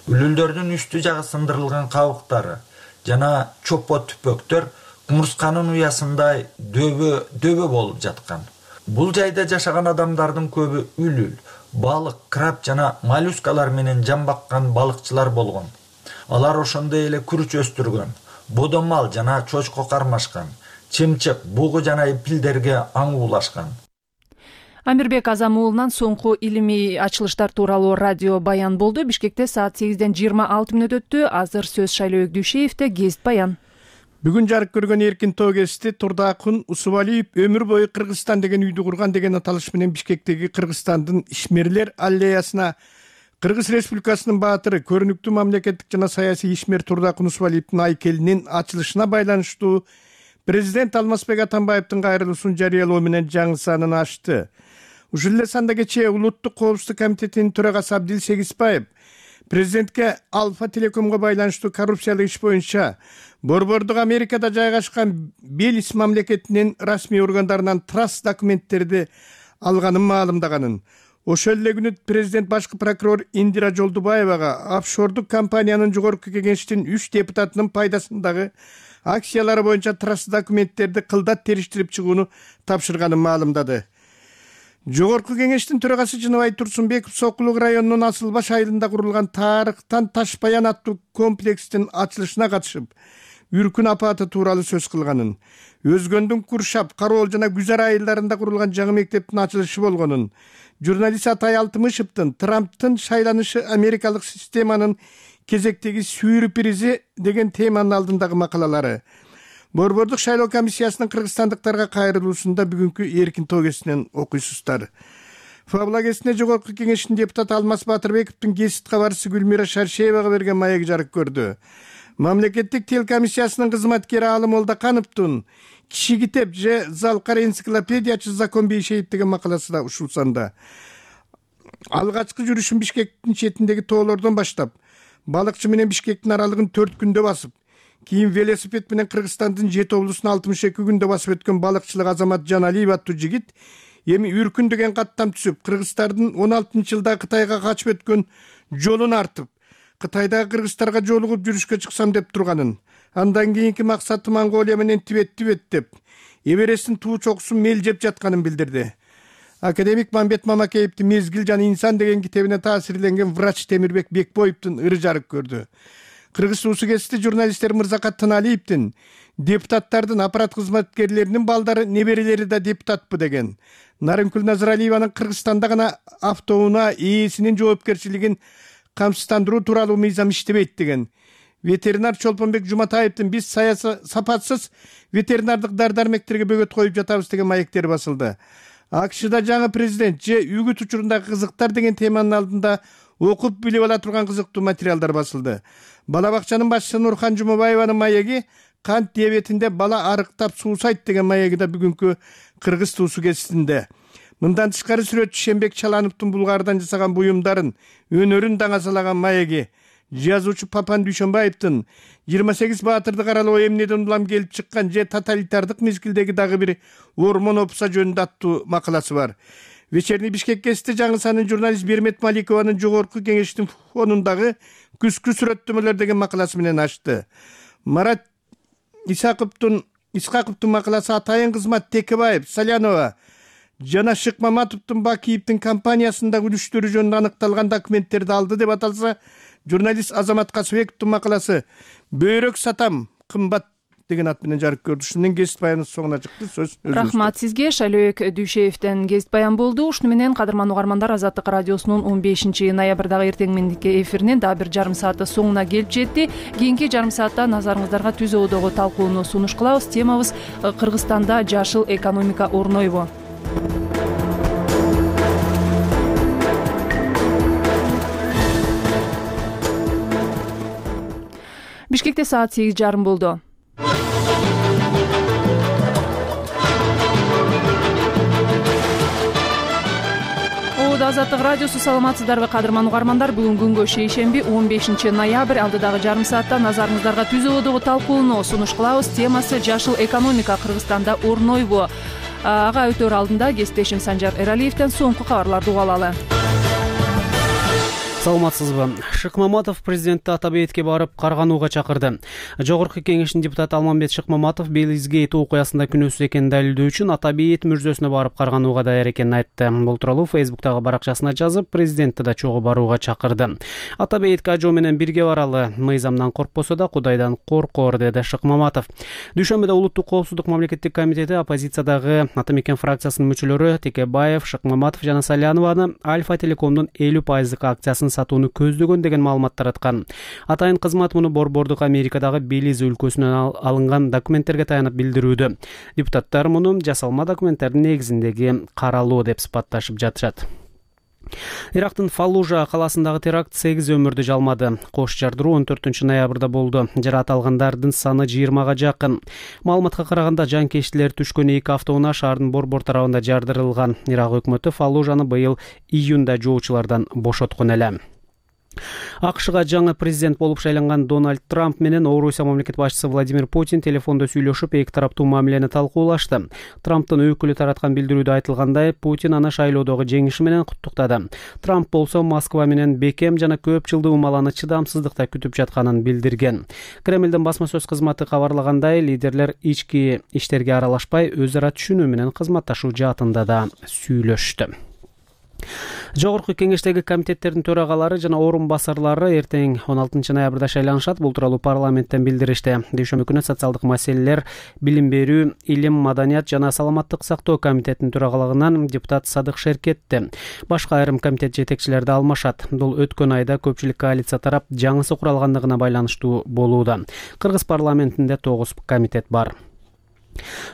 Үлүлдөрдүн үстү жагы сындырылган кабыктары жана чопо түпөктөр кумурсканын уясындай дөбө дөбө болуп жаткан. Бул жайда жашаган адамдардын көбү үлүл, балык, краб жана моллюскалар менен жамбаккан балыкчылар болгон. Алар ошондой эле күрүч өстүргөн, бодомал жана чочко кармашкан, чымчык, бугу жана пилдерге аң уулашкан. Амирбек Азам уулунан соңку илимий ачылыштар тууралуу радио баян болду. Бишкекте саат сегизден жыйырма алты мүнөт өттү. Азыр сөз Шайлоо Дүйшеевде гезит баян. Бүгүн жарык көргөн эркин тоо гезити Турдаакун Усубалиев өмүр бою Кыргызстан деген үйдү курган деген аталыш менен Бишкектеги Кыргызстандын ишмерлер аллеясына Кыргыз Республикасынын баатыры, көрүнүктүү мамлекеттик жана саясий ишмер Турдаакун Усубалиевдин айкелинин ачылышына байланыштуу президент Алмазбек Атамбаевдин кайрылуусун жарыялоо менен жаңы санын ачты. Ушул эле санда кечээ Улуттук коопсуздук комитетинин төрагасы Абдил Сегизбаев президентке Альфа Телекомго байланыштуу коррупциялык иш боюнча Борбордук Америкада жайгашкан Белис мамлекетинин расмий органдарынан траст документтерди алганын маалымдаганын. Ошол эле күнү президент башкы прокурор Индира Жолдубаевага офшордук компаниянын жогорку кеңештин үч депутатынын пайдасындагы акциялары боюнча траст документтерди кылдат териштирип чыгууну тапшырганын маалымдады. Жогорку кеңештин төрагасы Жыныбай Турсунбеков Сокулук районунун Асылбаш айылында курулган Тарыктан Ташбаян аттуу комплекстин ачылышына катышып, үркүн апаты тууралуу сөз кылганын, Өзгөндүн Куршап, Кароол жана Гүзар айылдарында курулган жаңы мектептин ачылышы болгонун, журналист Атай Алтымышевдин Трамптын шайланышы Америкалык системанын кезектеги сюрпризи деген теманын алдындагы макалалары, Борбордук шайлоо комиссиясынын кыргызстандыктарга кайрылуусунда бүгүнкү эркин тоо гезитинен окуйсуздар. Фабла гезитине жогорку кеңештин депутаты Алмаз Батырбековдун гезит кабарчысы Гүлмира Шаршеевага берген маеги жарык көрдү. Мамлекеттик тил комиссиясынын кызматкери Алым Молдокановдун Киши китеп же Залкар энциклопедиячы Закон Бейшеев деген макаласы да ушул санда. Алгачкы жүрүшүн Бишкектин четиндеги тоолордон баштап, балыкчы менен Бишкектин аралыгын төрт күндө басып, кийин велосипед менен Кыргызстандын Жети облусун алтымыш эки күндө басып өткөн балыкчылык Азамат Жаналиев аттуу жигит эми Үркүн деген каттам түзүп, Кыргыздардын он алтынчы жылда Кытайга качып өткөн жолун артып, Кытайдагы кыргыздарга жолугуп жүрүшкө чыксам деп турганын, андан кийинки максаты Монголия менен Тибетти беттеп, Эвересттин туу чокусун мелжеп жатканын билдирди. Академик Мамбет Мамакеевдин Мезгил жана инсан деген китебине таасирленген врач Темирбек Бекбоевдун ыры жарык көрдү. Кыргыз суусу гезити журналисттер Мырзакат Тыналиевдин депутаттардын аппарат кызматкерлеринин балдары, неберелери да депутатпы деген. Нарынкүл Назаралиеванын Кыргызстанда гана автоунаа ээсинин жоопкерчилигин камсыздандыруу тууралуу мыйзам иштебейт деген. Ветеринар Чолпонбек Жуматаевдин биз сапатсыз ветеринардык дар-дармектерге бөгөт коюп жатабыз деген маектери басылды. АКШда жаңы президент же үгүт учурундагы кызыктар деген теманын алдында окуп билип ала турган кызыктуу материалдар басылды. Бала бакчанын башчысы Нурхан Жумабаеванын маеги кант диабетинде бала арыктап суусайт деген маеги да бүгүнкү Кыргыз туусу кезинде. Мындан тышкары сүрөтчү Шембек Чалановдун Булгардан жасаган буюмдарын, өнөрүн даңазалаган маеги, жазуучу Папан Дүйшөнбаевдин жыйырма сегиз баатырды каралоо эмнеден улам келип чыккан же тоталитардык мезгилдеги дагы бир ормон опса жөнүндө аттуу макаласы бар. Вечерний Бишкек гезити жаңы санын журналист Бермет Маликованын жогорку кеңештин фонундагы күзгү сүрөттөмөлөр деген макаласы менен ачты. Марат Исаковдун Исхаковдун макаласы Атайын кызмат Текебаев, Салянова жана Шыкмаматовдун Бакиевдин компаниясындагы үлүштөрү жөнүндө аныкталган документтерди алды деп аталса, журналист Азамат Касыбековдун макаласы Бөйрөк сатам кымбат деген ат менен жарык көрдү. Ушунун гезит баяны соңуна чыкты. Сөз өзүңүздө. Рахмат сизге. Шайлообек Дүйшеевден гезит баян болду. Ушуну менен кадырман угармандар, Азаттык радиосунун он бешинчи ноябрдагы эртең мендикке эфиринин дагы бир жарым сааты соңуна келип жетти. Кийинки жарым саатта назарыңыздарга түз оодогу талкууну сунуш кылабыз. Темабыз Кыргызстанда жашыл экономика орнойбу? Бишкекте саат сегиз жарым болду. Азаттык радиосу, саламатсыздарбы кадырман угармандар? Бүгүн күнгө шейшемби он бешинчи ноябрь. Алдыдагы жарым саатта назарыңыздарга түз оодогу талкууну сунуш кылабыз. Темасы жашыл экономика Кыргызстанда орнойбу? Ага өтөр алдында кесиптешим Санжар Эралиевден соңку кабарларды угуп алалы. Саламатсызбы? Шыкмаматов президентти Атабейетке барып карганууга чакырды. Жогорку кеңештин депутаты Алмамбет Шыкмаматов Белизгейт окуясында күнөөсүз экенин далилдөө үчүн Атабейет мүрзөсүнө барып карганууга даяр экенин айтты. Бул тууралуу Фейсбуктагы баракчасына жазып, президентти да чогуу барууга чакырды. Атабейетке ажоо менен бирге баралы, мыйзамдан коркпосо да Кудайдан коркор, деди Шыкмаматов. Дүйшөмбүдө Улуттук коопсуздук мамлекеттик комитети оппозициядагы Ата мекен фракциясынын мүчөлөрү Текебаев, Шыкмаматов жана Салянованы Альфа Телекомдун элүү пайыздык акциясын сатууну көздөгөн деген маалымат тараткан. Атайын кызмат муну Борбордук Америкадагы Белиз өлкөсүнөн алынган документтерге таянып билдирүүдө. Депутаттар муну жасалма документтердин негизиндеги каралуу деп сыпатташып жатышат. Ирактын Фаллужа каласындагы теракт сегиз өмүрдү жалмады. Кош жардыруу он төртүнчү ноябрда болду. Жаракат алгандардын саны жыйырмага жакын. Маалыматка караганда жанкечтилер түшкөн эки автоунаа шаардын борбор тарабында жардырылган. Ирак өкмөтү Фаллужаны быйыл июнда жоочулардан бошоткон эле. АКШга жаңы президент болуп шайланган Дональд Трамп менен Орусия мамлекет башчысы Владимир Путин телефондо сүйлөшүп, эки тараптуу мамилени талкуулашты. Трамптын өкүлү тараткан билдирүүдө айтылгандай, Путин аны шайлоодогу жеңиши менен куттуктады. Трамп болсо Москва менен бекем жана көп жылдуу умаланы чыдамсыздыкта күтүп жатканын билдирген. Кремлдин басма сөз кызматы кабарлагандай, лидерлер ички иштерге аралашпай, өз ара түшүнүү менен кызматташуу жаатында да сүйлөштү. Жогорку кеңештеги комитеттердин төрагалары жана орун басарлары эртең он алтынчы ноябрда шайланышат. Бул тууралуу парламенттен билдиришти. Дүйшөмбү күнү социалдык маселелер, билим берүү, илим, маданият жана саламаттык сактоо комитетинин төрагалыгынан депутат Садык Шеркетти. Башка айрым комитет жетекчилери да алмашат. Бул өткөн айда көпчүлүк коалиция тарап жаңысы куралгандыгына байланыштуу болууда. Кыргыз парламентинде тогуз комитет бар.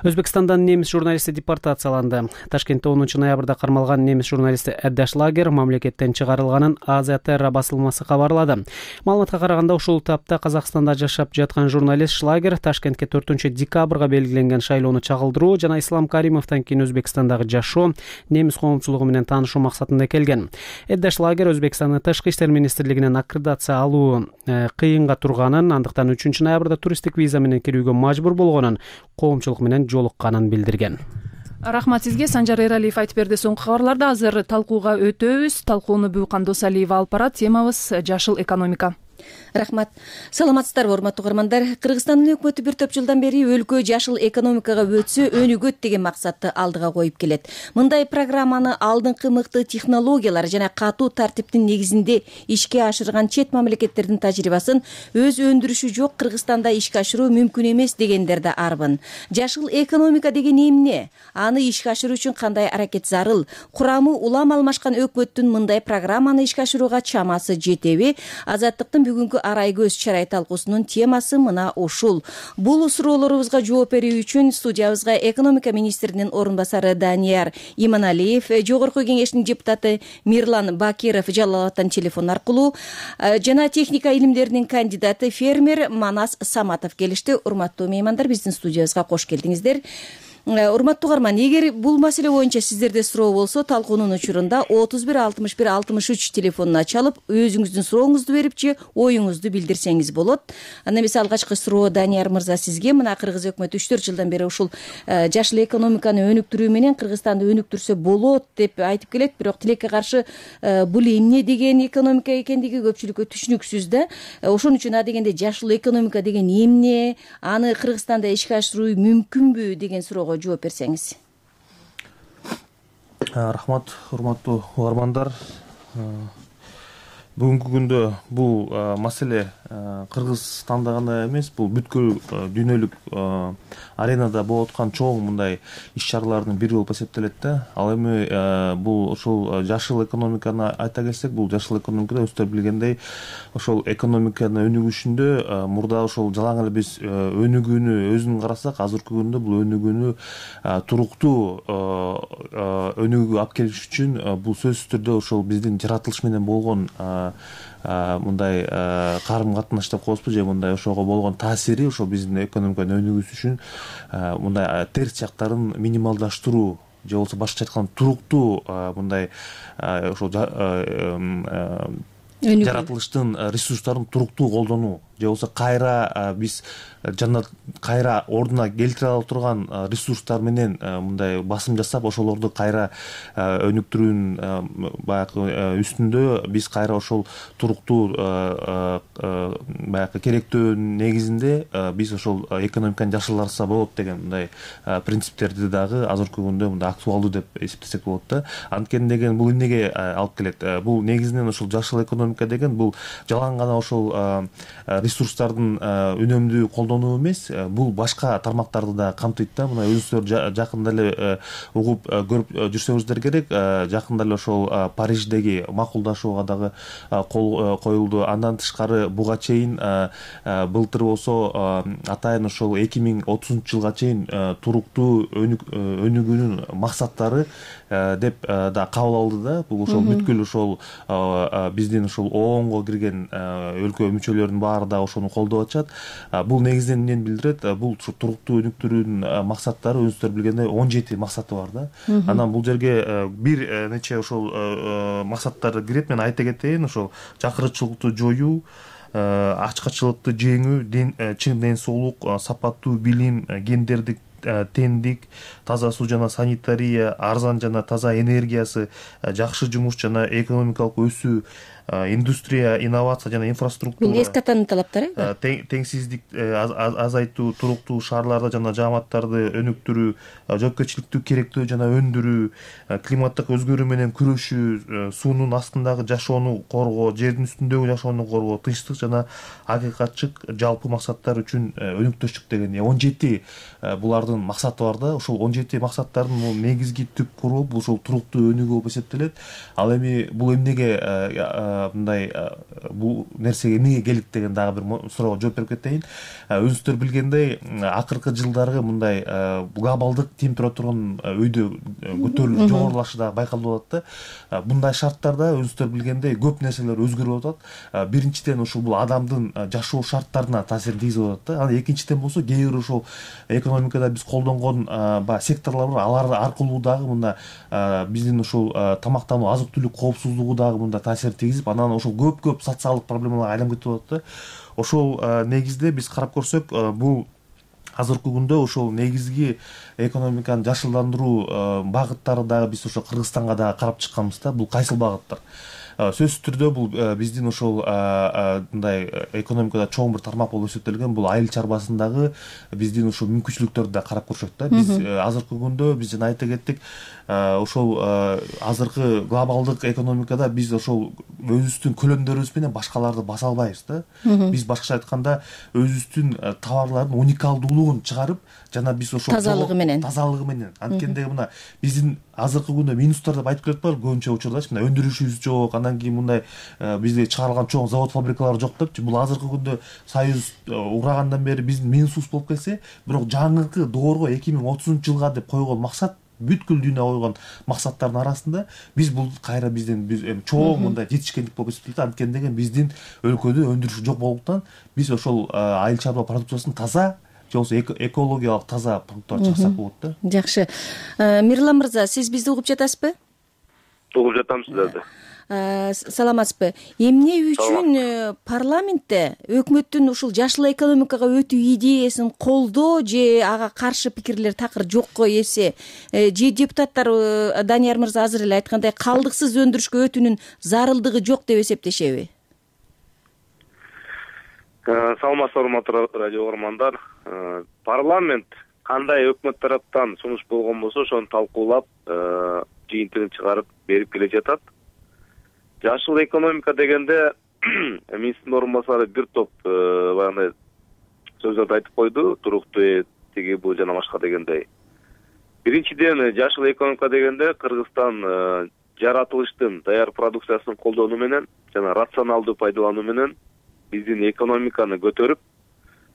Өзбекстандан немис журналисти депортацияланды. Ташкентте онунчу ноябрда кармалган немис журналисти Эддаш Шлагер мамлекеттен чыгарылганын Азия Терра басылмасы кабарлады. Маалыматка караганда, ушул тапта Казакстанда жашап жаткан журналист Шлагер Ташкентке төртүнчү декабрга белгиленген шайлоону чагылдыруу жана Ислам Каримовдон кийин Өзбекстандагы жашоо, немис коомчулугу менен таанышуу максатында келген. Эддаш Шлагер Өзбекстандын тышкы иштер министрлигинен аккредитация алуу кыйынга турганын, андыктан үчүнчү ноябрда туристтик виза менен кирүүгө мажбур болгонун, коомчулук менен жолукканын билдирген. Рахмат сизге. Санжар Эралиев айтып берди соңку кабарларды. Азыр талкууга өтөбүз. Талкууну Бүкан Досалиева алып барат. Темабыз жашыл экономика. Рахмат. Саламатсыздарбы, урматтуу угармандар? Кыргызстандын өкмөтү бир топ жылдан бери өлкө жашыл экономикага өтсө өнүгөт деген максатты алдыга коюп келет. Мындай программаны алдыңкы мыкты технологиялар жана катуу тартиптин негизинде ишке ашырган чет мамлекеттердин тажрыйбасын өз өндүрүшү жок Кыргызстанда ишке ашыруу мүмкүн эмес дегендер да арбын. Жашыл экономика деген эмне? Аны ишке ашыруу үчүн кандай аракет зарыл? Курамы улам алмашкан өкмөттүн мындай программаны ишке ашырууга чамасы жетеби? Азаттыктын бүгүнкү арай көз чарай талкуусунун темасы мына ушул. Бул суроолорубузга жооп берүү үчүн студиябызга экономика министринин орун басары Данияр Иманалиев, Жогорку Кеңештин депутаты Мирлан Бакиров Жалал Абадтан телефон аркылуу жана техника илимдеринин кандидаты фермер Манас Саматов келишти. Урматтуу меймандар, биздин студиябызга кош келдиңиздер. Урматтуу угарман, эгер бул маселе боюнча сиздерде суроо болсо, талкуунун учурунда отуз бир алтымыш бир алтымыш үч телефонуна чалып, өзүңүздүн сурооңузду берип же оюңузду билдирсеңиз болот. Анда эмесе алгачкы суроо Данияр мырза сизге. Мына Кыргыз өкмөтү үч төрт жылдан бери ушул жашыл экономиканы өнүктүрүү менен Кыргызстанды өнүктүрсө болот деп айтып келет, бирок тилекке каршы бул эмне деген экономика экендиги көпчүлүккө түшүнүксүз да. Ошон үчүн а дегенде жашыл экономика деген эмне, аны Кыргызстанда ишке ашыруу мүмкүнбү деген суроого жооп берсеңиз. Рахмат, урматтуу угармандар. Бүгүнкү күндө бул маселе Кыргызстанда гана эмес, бул бүткүл дүйнөлүк аренада болуп аткан чоң мындай иш-чаралардын бири болуп эсептелет да. Ал эми бул ошол жашыл экономиканы айта келсек, бул жашыл экономикада өздөрү билгендей, ошол экономиканын өнүгүшүндө мурда ошол жалаң эле биз өнүгүүнү өзүн карасак, азыркы күндө бул өнүгүүнү туруктуу өнүгүүгө алып келиш үчүн бул сөзсүз түрдө ошол биздин жаратылыш менен болгон мындай карым катнаш деп коебузбу, же мындай ошого болгон таасири ошол биздин экономиканын өнүгүүсү үчүн мындай терс жактарын минималдаштыруу, же болбосо башкача айтканда туруктуу мындай ошол жаратылыштын ресурстарын туруктуу колдонуу, же болбосо кайра биз жана кайра ордуна келтире ала турган ресурстар менен мындай басым жасап, ошолорду кайра өнүктүрүүнүн баягы үстүндө биз кайра ошол туруктуу баягы керектөөнүн негизинде биз ошол экономиканы жашылдатса болот деген мындай принциптерди дагы азыркы күндө мындай актуалдуу деп эсептесек болот да. Анткени деген бул эмнеге алып келет? Бул негизинен ошол жашыл экономика деген бул жалаң гана ошол ресурстардын үнөмдүү колдонуу эмес, бул башка тармактарды да камтыйт да. Мына өзүңүздөр жакында эле угуп көрүп жүрсөңүздөр керек, жакында эле ошол Париждеги макулдашууга дагы кол коюлду. Андан тышкары буга чейин былтыр болсо атайын ошол эки миң отузунчу жылга чейин туруктуу өнүгүүнүн максаттары деп да кабыл алды да. Бул ошол бүткүл ошол биздин ошол оонго кирген өлкө мүчөлөрүнүн баары да ошону колдоп атышат. Бул негизинен эмнени билдирет? Бул туруктуу өнүктүрүүнүн максаттары өзүңүздөр билгендей он жети максаты бар да. Анан бул жерге бир нече ошол максаттар кирет. Мен айта кетейин, ошол жакырчылыкты жоюу, ачкачылыкты жеңүү, чың ден соолук, сапаттуу билим, гендердик теңдик, таза суу жана санитария, арзан жана таза энергиясы, жакшы жумуш жана экономикалык өсүү, индустрия, инновация жана инфраструктура, эски атанын талаптары, теңсиздик азайтуу, туруктуу шаарларды жана жааматтарды өнүктүрүү, жоопкерчиликтүү керектөө жана өндүрүү, климаттык өзгөрүү менен күрөшүү, суунун астындагы жашоону коргоо, жердин үстүндөгү жашоону коргоо, тынчтык жана акыйкатчык жалпы максаттар үчүн өнүктүштүк деген он жети булардын максаты бар да. Ошол он жети максаттардын негизги түп куру бул ошол туруктуу өнүгүү болуп эсептелет. Ал эми бул эмнеге мындай бул нерсеге эмнеге келдик деген дагы бир суроого жооп берип кетейин. Өзүңүздөр билгендей, акыркы жылдары мындай глобалдык температуранын өйдө көтөрүлүп жогорулашы дагы байкалып атат да. Мындай шарттарда өзүңүздөр билгендей көп нерселер өзгөрүп атат. Биринчиден ошол бул адамдын жашоо шарттарына таасирин тийгизип атат да. Анан экинчиден болсо кээ бир ошол экономикада биз колдонгон баягы секторлор бар, алар аркылуу дагы мында биздин ошол тамактануу, азык-түлүк коопсуздугу дагы мында таасир тийгизип, анан ошол көп-көп социалдык проблемаларга айланып кетип атат да. Ошол негизде биз карап көрсөк, бул азыркы күндө ошол негизги экономиканы жашылдандыруу багыттары дагы биз ошо Кыргызстанга дагы карап чыкканбыз да. Бул кайсыл багыттар? Сөзсүз түрдө бул биздин ошол мындай экономикада чоң бир тармак болуп эсептелген бул айыл чарбасындагы биздин ошол мүмкүнчүлүктөрдү да карап көрсөк да. Биз азыркы күндө биз жана айта кеттик, ошол азыркы глобалдык экономикада биз ошол өзүбүздүн көлөмдөрүбүз менен башкаларды баса албайбыз да. Биз башкача айтканда өзүбүздүн товарлардын уникалдуулугун чыгарып, жана биз ошол тазалыгы менен тазалыгы менен анткени мына биздин азыркы күндө минустар деп айтып келатпайбы көбүнчө учурдачы, мына өндүрүшүбүз жок, андан кийин мындай бизде чыгарылган чоң завод фабрикалар жок депчи. Бул азыркы күндө Союз урагандан бери биздин минусубуз болуп келсе, бирок жаңыркы доорго эки миң отузунчу жылга деп койгон максат, бүткүл дүйнө койгон максаттардын арасында биз бул кайра биздин чоң мындай жетишкендик болуп эсептелет. Анткени деген биздин өлкөдө өндүрүш жок болгондуктан биз ошол айыл чарба продукциясын таза же болбосо экологиялык таза продукттар чыксак болот да. Жакшы. Мирлан мырза, сиз бизди угуп жатасызбы? Угуп жатам сиздерди. Саламатсызбы? Эмне үчүн парламентте өкмөттүн ушул жашыл экономикага өтүү идеясын колдоо же ага каршы пикирлер такыр жокко эсе, же депутаттар Данияр мырза азыр эле айткандай калдыксыз өндүрүшкө өтүүнүн зарылдыгы жок деп эсептешеби? Саламатсыздар урматтуу радио угармандар. Парламент кандай өкмөт тараптан сунуш болгон болсо ошону талкуулап, жыйынтыгын чыгарып берип келе жатат. Жашыл экономика дегенде министрдин орун басары бир топ баягындай сөздөрдү айтып койду, туруктуу тиги бул жана башка дегендей. Биринчиден, жашыл экономика дегенде Кыргызстан жаратылыштын даяр продукциясын колдонуу менен жана рационалдуу пайдалануу менен биздин экономиканы көтөрүп,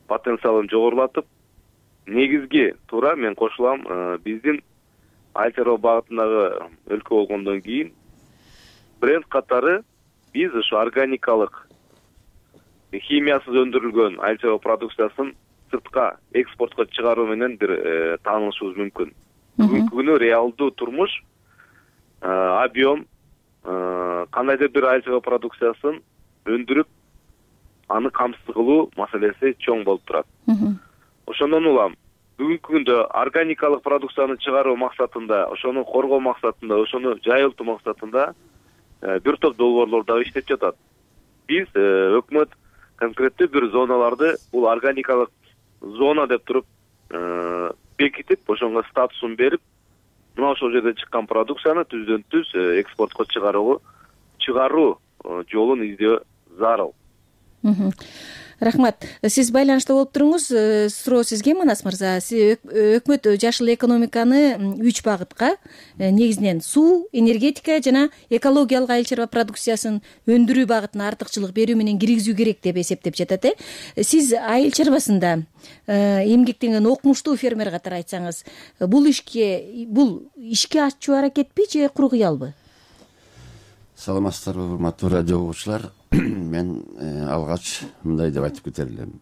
потенциалын жогорулатып, негизги туура мен кошулам, биздин айыл чарба багытындагы өлкө болгондон кийин бренд катары биз ушу органикалык, химиясыз өндүрүлгөн айыл чарба продукциясын сыртка экспортко чыгаруу менен бир таанылышыбыз мүмкүн. Бүгүнкү күнү реалдуу турмуш, объем, кандайдыр бир айыл чарба продукциясын өндүрүп, аны камсыз кылуу маселеси чоң болуп турат. Ошондон улам бүгүнкү күндө органикалык продукцияны чыгаруу максатында, ошону коргоо максатында, ошону жайылтуу максатында бир топ долбоорлор дагы иштеп жатат. Биз өкмөт конкреттүү бир зоналарды бул органикалык зона деп туруп бекитип, ошонго статусун берип, мына ошол жерде чыккан продукцияны түздөн түз экспортко чыгаруу чыгаруу жолун издөө зарыл. Рахмат. Сиз байланышта болуп туруңуз. Суроо сизге, Манас мырза. Өкмөт жашыл экономиканы үч багытка, негизинен суу, энергетика жана экологиялык айыл чарба продукциясын өндүрүү багытына артыкчылык берүү менен киргизүү керек деп эсептеп жатат. Э Сиз айыл чарбасында эмгектенген окумуштуу фермер катары айтсаңыз, бул ишке бул ишке ачуу аракетпи же куру кыялбы? Саламатсыздарбы, урматтуу радио угуучулар. Мен алгач мындай деп айтып кетер элем.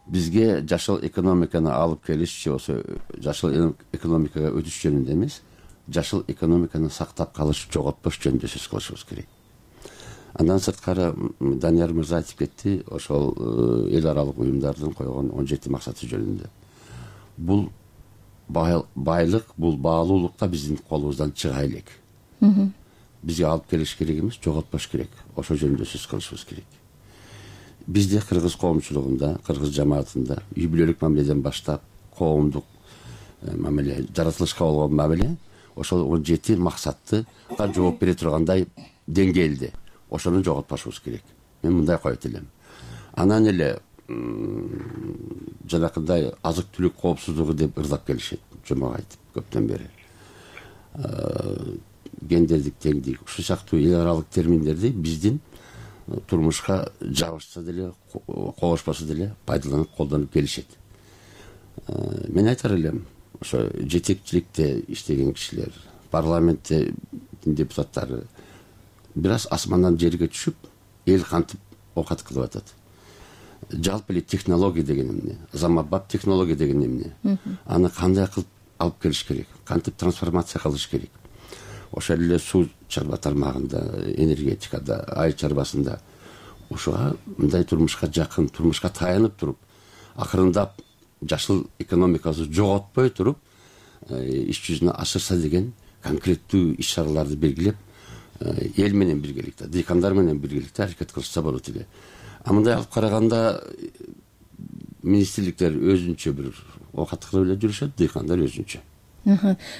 Бизге жашыл экономиканы алып келиш же болсо жашыл экономикага өтүш жөнүндө эмес, жашыл экономиканы сактап калыш, жоготпош жөнүндө сөз кылышыбыз керек. Андан сырткары Данияр мырза айтып кетти, ошол эл аралык уюмдардын койгон он жети максаты жөнүндө. Бул байлык, бул баалуулук да биздин колубуздан чыга элек. Бизге алып келиш керек эмес, жоготпош керек. Ошол жөнүндө сөз кылышыбыз керек. Бизде кыргыз коомчулугунда, кыргыз жамаатында үй бүлөлүк мамиледен баштап коомдук мамиле, жаратылышка болгон мамиле ошол он жети максатты жооп бере тургандай деңгээлде. Ошону жоготпашыбыз керек. Мен мындай коет элем. Анан эле жанакындай азык-түлүк коопсуздугу деп ырдап келишет, жомок айтып көптөн бери. Гендердик теңдик, ушул сыяктуу эл аралык терминдерди биздин турмушка жабышса деле, кобошпаса деле пайдаланып колдонуп келишет. Мен айтар элем, ошо жетекчиликте иштеген кишилер, парламентте депутаттары бир аз асмандан жерге түшүп, эл кантип оокат кылып атат. Жалпы эле технология деген эмне, заманбап технология деген эмне, аны кандай кылып алып келиш керек, кантип трансформация кылыш керек. Ошол эле суу чарба тармагында, энергетикада, айыл чарбасында ушуга мындай турмушка жакын, турмушка таянып туруп, акырындап жашыл экономикасы жоготпой туруп, иш жүзүнө ашырса деген конкреттүү иш чараларды белгилеп, эл менен биргеликте, дыйкандар менен биргеликте аракет кылышса болот эле. А мындай алып караганда министрликтер өзүнчө бир оокат кылып эле жүрүшөт, дыйкандар өзүнчө.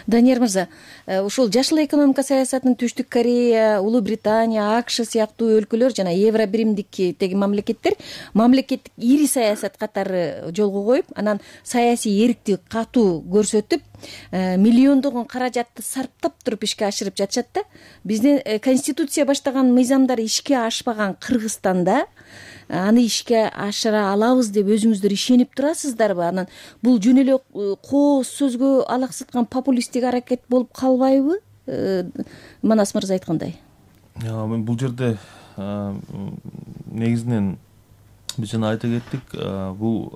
Данияр мырза, ушул жашыл экономика саясатын Түштүк Корея, Улуу Британия, АКШ сыяктуу өлкөлөр жана евро биримдиктеги мамлекеттер мамлекеттик ири саясат катары жолго коюп, анан саясий эркти катуу көрсөтүп, миллиондогон каражатты сарптап туруп ишке ашырып жатышат да. Биздин конституция баштаган мыйзамдар ишке ашпаган Кыргызстанда аны ишке ашыра алабыз деп өзүңүздөр ишенип турасыздарбы? Анан бул жөн эле кооз сөзгө алаксыткан популисттик аракет болуп калбайбы? Манас мырза айткандай. Бул жерде негизинен биз жана айта кеттик, бул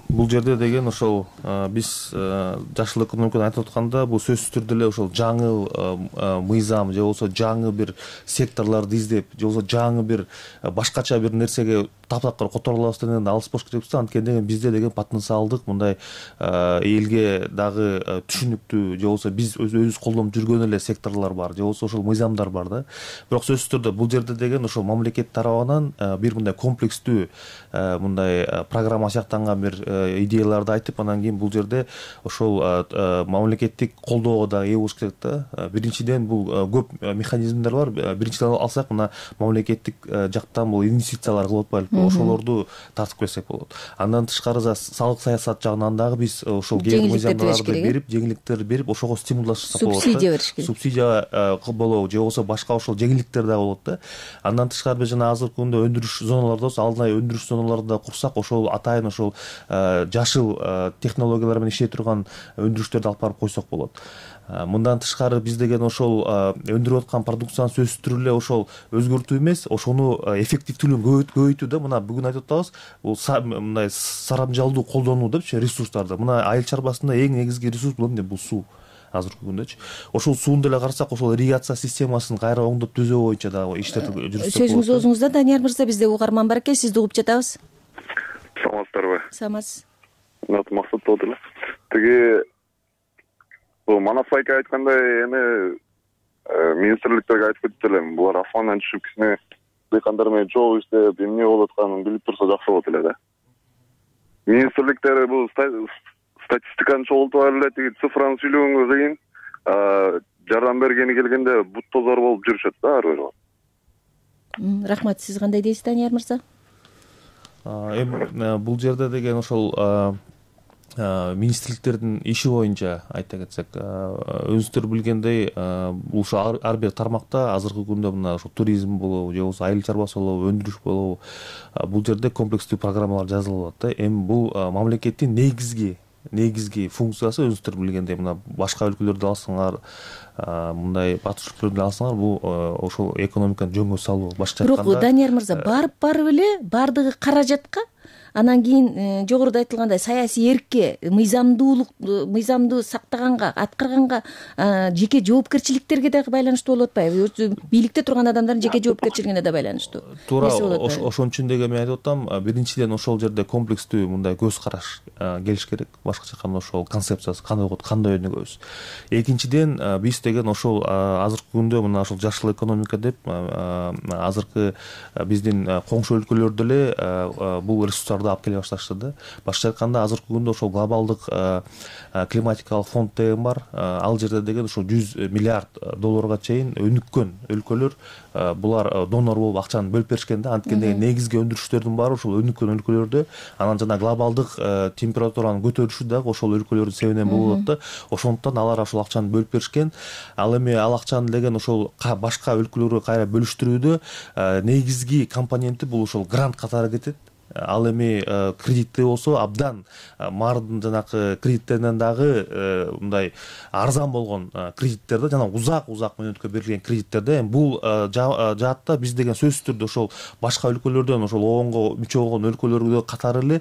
бул жерде деген ошол биз жашыл экономиканы айтып атканда бул сөзсүз түрдө эле ошол жаңы мыйзам же болбосо жаңы бир секторлорду издеп же болбосо жаңы бир башкача бир нерсеге таптакыр которо алабыз алыс болуш керекпиз да. Анткени деген бизде деген потенциалдык мындай элге дагы түшүнүктүү же болбосо биз өзүбүз колдонуп жүргөн эле секторлор бар же болбосо ошол мыйзамдар бар да. Бирок сөзсүз түрдө бул жерде деген ошол мамлекет тарабынан бир мындай комплекстүү мындай программа сыяктанган бир идеяларды айтып, анан кийин бул жерде ошол мамлекеттик колдоого да ээ болуш керек да. Биринчиден бул көп механизмдер бар. Биринчиден алсак, мына мамлекеттик жактан бул инвестициялар кылып атпайлыкпы, ошолорду тартып келсек болот. Андан тышкары салык саясат жагынан дагы биз ошол мыйзамдарды берип, жеңилдиктерди берип, ошого стимулдаштырсак болот. Субсидия бериш керек. Субсидия болобу же болбосо башка ошол жеңилдиктер дагы болот да. Андан тышкары биз жана азыркы күндө өндүрүш зоналарда болсо, алдынай өндүрүш зоналарды да курсак, ошол атайын ошол жашыл технологиялар менен иштей турган өндүрүштөрдү алып барып койсок болот. Мындан тышкары биз деген ошол өндүрүп аткан продукцияны сөзсүз түрдө эле ошол өзгөртүү эмес, ошону эффективдүүлүгүн көбөйтүү да. Мына бүгүн айтып атабыз, бул мындай сарамжалдуу колдонуу депчи ресурстарды. Мына айыл чарбасында эң негизги ресурс бул эмне? Бул суу. Азыркы күндөчү ошол сууну деле карасак, ошол ирригация системасын кайра оңдоп түзөө боюнча дагы иштер жүргүзсөк болот. Сөзүңүз оозуңузда, Данияр мырза. Бизде угарман бар экен, сизди угуп жатабыз. Саламатсыздарбы? Саламатсыз. Максат болот эле. Тиги бул Манас айка айткандай, эми министрликтерге айтып кетип элем. Булар асмандан түшүп кичине дыйкандар менен жол издеп, эмне болуп атканын билип турса жакшы болот эле да. Министрликтер бул статистиканы чогултуп эле, тиги цифраны сүйлөгөнгө кыйын, жардам бергени келгенде бут тозор болуп жүрүшөт да ар бир. Рахмат. Сиз кандай дейсиз, Данияр мырза? Эми бул жерде деген ошол министрликтердин иши боюнча айта кетсек, өзүңүздөр билгендей, ушул ар бир тармакта азыркы күндө мына ошо туризм болобу же болбосо айыл чарбасы болобу, өндүрүш болобу, бул жерде комплекстүү программалар жазылып атат да. Эми бул мамлекеттин негизги негизги функциясы, өзүңүздөр билгендей, мына башка өлкөлөрдү алсаңар, мындай батыш өлкөлөрдү алсаңар, бул ошол экономиканы жөнгө салуу. Башкача айтканда, бирок Данияр мырза, барып барып эле бардыгы каражатка, анан кийин жогоруда айтылгандай саясий эркке, мыйзамдуулук, мыйзамды сактаганга, аткарганга, жеке жоопкерчиликтерге дагы байланыштуу болуп атпайбы? Бийликте турган адамдардын жеке жоопкерчилигине да байланыштуу. Туура, ошон үчүн деген мен айтып атам, биринчиден ошол жерде комплекстүү мындай көз караш келиш керек. Башкача айтканда ошол концепциясы кандай болот, кандай өнүгөбүз. Экинчиден, биз деген ошол азыркы күндө мына ошол жашыл экономика деп азыркы биздин коңшу өлкөлөрдө эле бул ресурстарды алып келе башташты да. Башкача айтканда, азыркы күндө ошол глобалдык климатикалык фонд деген бар. Ал жерде деген ошол жүз миллиард долларга чейин өнүккөн өлкөлөр булар донор болуп акчаны бөлүп беришкен да. Анткени деген негизги өндүрүштөрдүн баары ошол өнүккөн өлкөлөрдө. Анан жана глобалдык температуранын көтөрүлүшү дагы ошол өлкөлөрдүн себебинен болуп атат да. Ошондуктан алар ошол акчаны бөлүп беришкен. Ал эми ал акчаны деген ошол башка өлкөлөргө кайра бөлүштүрүүдө негизги компоненти бул ошол грант катары кетет. Ал эми кредитте болсо абдан мардын жанакы кредиттеринен дагы мындай арзан болгон кредиттерде, жана узак узак мөөнөткө берилген кредиттерде. Эми бул жаатта биз деген сөзсүз түрдө ошол башка өлкөлөрдөн ошол оонго мүчө болгон өлкөлөргө катары эле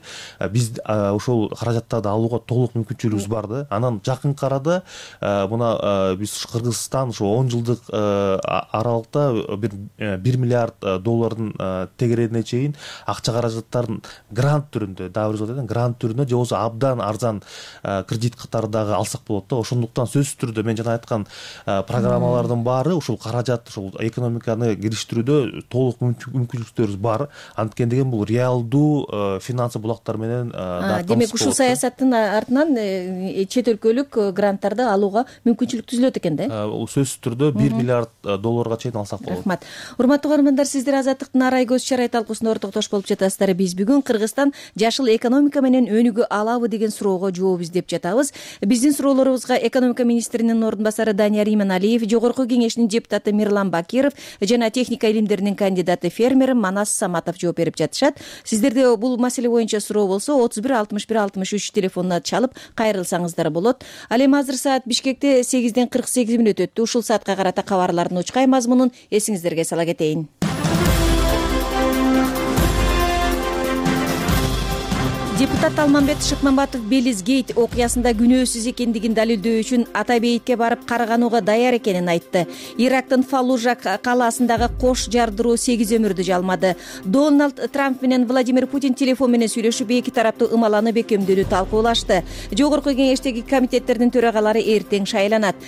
биз ошол каражаттарды алууга толук мүмкүнчүлүгүбүз бар да. Анан жакынкы арада мына биз Кыргызстан ошо он жылдык аралыкта бир бир миллиард доллардын тегерерине чейин акча каражат кыргызстан грант түрүндө дагы бир жолу грант түрүндө же болбосо абдан арзан кредит катары дагы алсак болот да. Ошондуктан сөзсүз түрдө мен жана айткан программалардын баары ушул каражат ушул экономиканы кириштирүүдө толук мүмкүнчүлүктөрүбүз бар. Анткени деген бул реалдуу финансы булактар менен демек ушул саясаттын артынан чет өлкөлүк гранттарды алууга мүмкүнчүлүк түзүлөт экен да. Сөзсүз түрдө бир миллиард долларга чейин алсак болот. Рахмат. Урматтуу угармандар, сиздер Азаттыктын арай көз чарай талкуусуна ортоктош болуп жатасыздар. Биз бүгүн Кыргызстан жашыл экономика менен өнүгө алабы деген суроого жооп издеп жатабыз. Биздин суроолорубузга экономика министринин ордун басары Данияр Иманалиев, Жогорку кеңешинин депутаты Мирлан Бакиров жана техника илимдеринин кандидаты фермер Манас Саматов жооп берип жатышат. Сиздерде бул маселе боюнча суроо болсо отуз бир алтымыш бир алтымыш үч телефонуна чалып кайрылсаңыздар болот. Ал эми азыр саат Бишкекте сегизден кырк сегиз мүнөт өттү. Ушул саатка карата кабарлардын учкай мазмунун эсиңиздерге сала кетейин. Депутат Алмамбет Шыкмамбатов Белизгейт окуясында күнөөсүз экендигин далилдөө үчүн Атабейитке барып караганууга даяр экенин айтты. Ирактын Фаллужа калаасындагы кош жардыруу сегиз өмүрдү жалмады. Дональд Трамп менен Владимир Путин телефон менен сүйлөшүп, эки тараптуу ымаланы бекемдөөнү талкуулашты. Жогорку кеңештеги комитеттердин төрагалары эртең шайланат.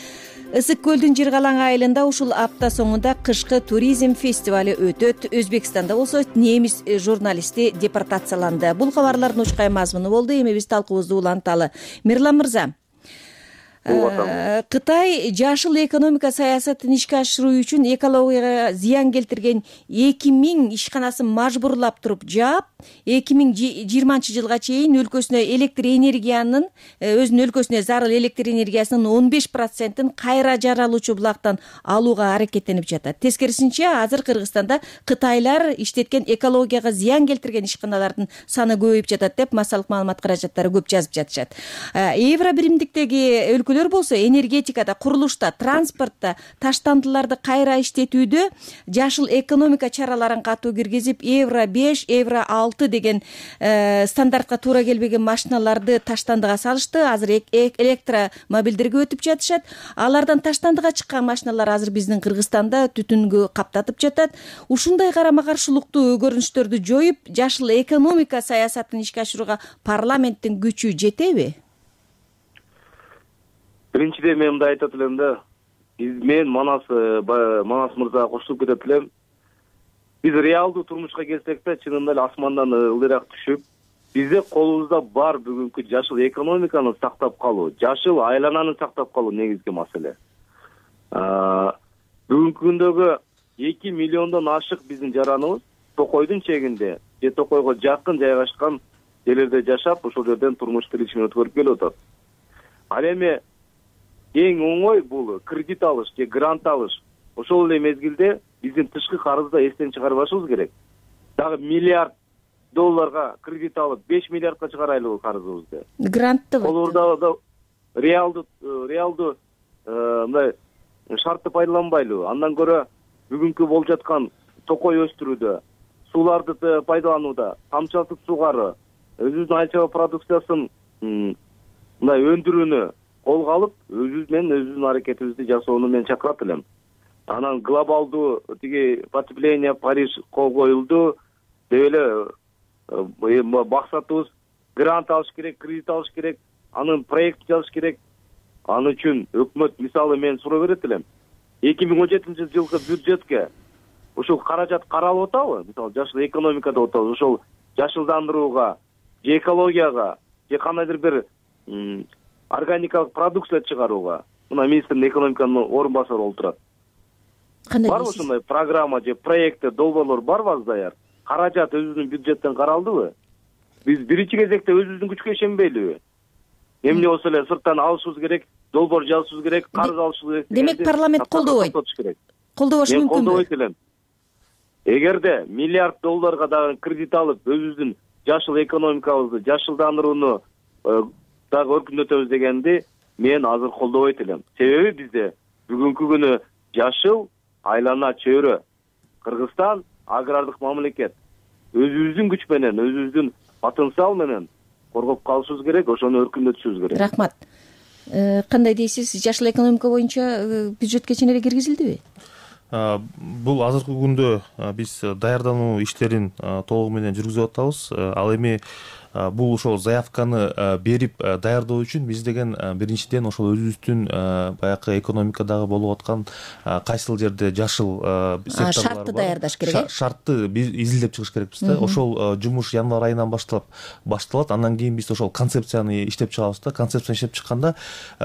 Ысык көлдүн Жыргалаң айылында ушул апта соңунда кышкы туризм фестивали өтөт. Өзбекстанда болсо немис журналисти депортацияланды. Бул кабарлардын учкай мазмуну болду. Эми биз талкуубузду уланталы. Мирлан мырза, Кытай жашыл экономика саясатын ишке ашыруу үчүн экологияга зыян келтирген эки миң ишканасын мажбурлап туруп жаап, эки миң жыйырманчы жылга чейин өлкөсүнө электр энергиянын, өзүнүн өлкөсүнө зарыл электр энергиясынын он беш процентин кайра жаралуучу булактан алууга аракеттенип жатат. Тескерисинче, азыр Кыргызстанда кытайлар иштеткен экологияга зыян келтирген ишканалардын саны көбөйүп жатат деп массалык маалымат каражаттары көп жазып жатышат. Евро биримдиктеги өлкөлөр болсо энергетикада, курулушта, транспортто таштандыларды кайра иштетүүдө жашыл экономика чараларын катуу киргизип, евро беш, евро алты деген стандартка туура келбеген машиналарды таштандыга салышты. Азыр электромобилдерге өтүп жатышат. Алардан таштандыга чыккан машиналар азыр биздин Кыргызстанда түтүнгө каптатып жатат. Ушундай карама каршылыктуу көрүнүштөрдү жоюп, жашыл экономика саясатын ишке ашырууга парламенттин күчү жетеби? Биринчиден мен мындай айтат элем да, мен Манас Манас мырзага кошулуп кетет элем. Биз реалдуу турмушка келсек да, чынында эле асмандан ылдыйраак түшүп, бизде колубузда бар бүгүнкү жашыл экономиканы сактап калуу, жашыл айлананы сактап калуу негизги маселе. Бүгүнкү күндөгү эки миллиондон ашык биздин жараныбыз Токойдун чегинде же Токойго жакын жайгашкан жерлерде жашап, ошол жерден турмуш тиричилигин өткөрүп келип атат. Ал эми эң оңой бул кредит алыш же грант алыш. Ошол эле мезгилде биздин тышкы карызды эстен чыгарбашыбыз керек. Дагы миллиард долларга кредит алып, беш миллиардка чыгарайлыбы карызыбызды. Грантты колурда реалдуу реалдуу мындай шартты пайдаланбайлыбы? Андан көрө бүгүнкү болуп жаткан токой өстүрүүдө, сууларды пайдаланууда, тамчылатып сугаруу, өзүбүздүн айыл чарба продукциясын мындай өндүрүүнү колго алып, өзүбүз менен өзүбүздүн аракетибизди жасоону мен чакырат элем. Анан глобалдуу тиги потепление Париж кол коюлду деп эле максатыбыз грант алыш керек, кредит алыш керек, анын проект жазыш керек. Аны үчүн өкмөт мисалы мен суроо берет элем. эки миң он жетинчи жылкы бюджетке ушул каражат каралып атабы? Мисалы жашыл экономикада отабыз, ошол жашылдандырууга, же экологияга, же кандайдыр бир органикалык продукция чыгарууга. Мына министрдин экономиканын орун басары болуп турат. Барбы ушундай программа же проекти, долбоорлор барбы азыр даяр? Каражат өзүбүздүн бюджеттен каралдыбы? Биз биринчи кезекте өзүбүздүн күчкө ишенбейлиби? Эмне болсо эле сырттан алышыбыз керек, долбоор жазышыбыз керек, карыз алышыбыз керек. Демек парламент колдобойт. Колдобош мүмкүнбү? Мен колдобойт элем. Эгерде миллиард долларга дагы кредит алып, өзүбүздүн жашыл экономикабызды, жашылдандырууну дагы өркүндөтөбүз дегенди мен азыр колдобойт элем. Себеби бизде бүгүнкү күнү жашыл айлана чөйрө. Кыргызстан агрардык мамлекет. Өзүбүздүн күч менен, өзүбүздүн потенциал менен коргоп калышыбыз керек, ошону өркүндөтүшүбүз керек. Рахмат. Кандай дейсиз? Жашыл экономика боюнча бюджетке чейин эле киргизилдиби? бул азыркы күндө биз даярдануу иштерин толугу менен жүргүзүп атабыз. Ал эми бул ошол заявканы берип даярдоо үчүн биз деген биринчиден ошол өзүбүздүн баягы экономикадагы болуп аткан кайсыл жерде жашыл секторлор шартты даярдаш керек э шартты биз изилдеп чыгыш керекпиз да. Ошол жумуш январь айынан баштап башталат. Андан кийин биз ошол концепцияны иштеп чыгабыз да. Концепцияны иштеп чыкканда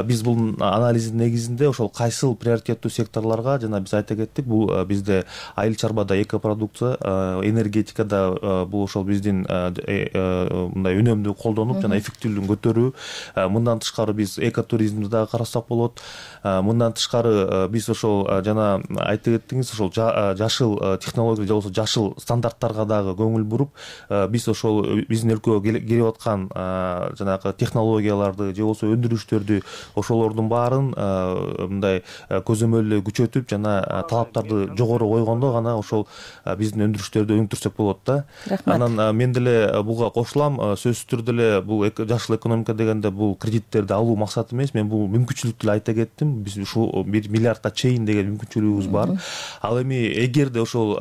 биз бул анализдин негизинде ошол кайсыл приоритеттүү секторлорго, жана биз айта кеттик, бул бизде айыл чарбада экопродукция, энергетикада бул ошол биздин мындай үнөмдү колдонуп жана эффективдүүлүгүн көтөрүү. Мындан тышкары биз экотуризмди дагы карасак болот. Мындан тышкары биз ошол жана айтып кеттиңиз, ошол жашыл технология же болбосо жашыл стандарттарга дагы көңүл буруп, биз ошол биздин өлкөгө келип аткан жанагы технологияларды же болбосо өндүрүштөрдү ошолордун баарын мындай көзөмөлдө күчөтүп жана талаптарды жогору койгондо гана ошол биздин өндүрүштөрдү өнүктүрсөк болот да. Анан мен деле буга кошулам. Сөзсүз түрдө эле бул жашыл экономика дегенде бул кредиттерди алуу максат эмес. Мен бул мүмкүнчүлүктү эле айта кеттим. Биз ушул бир миллиардка чейин деген мүмкүнчүлүгүбүз бар. Ал эми эгерде ошол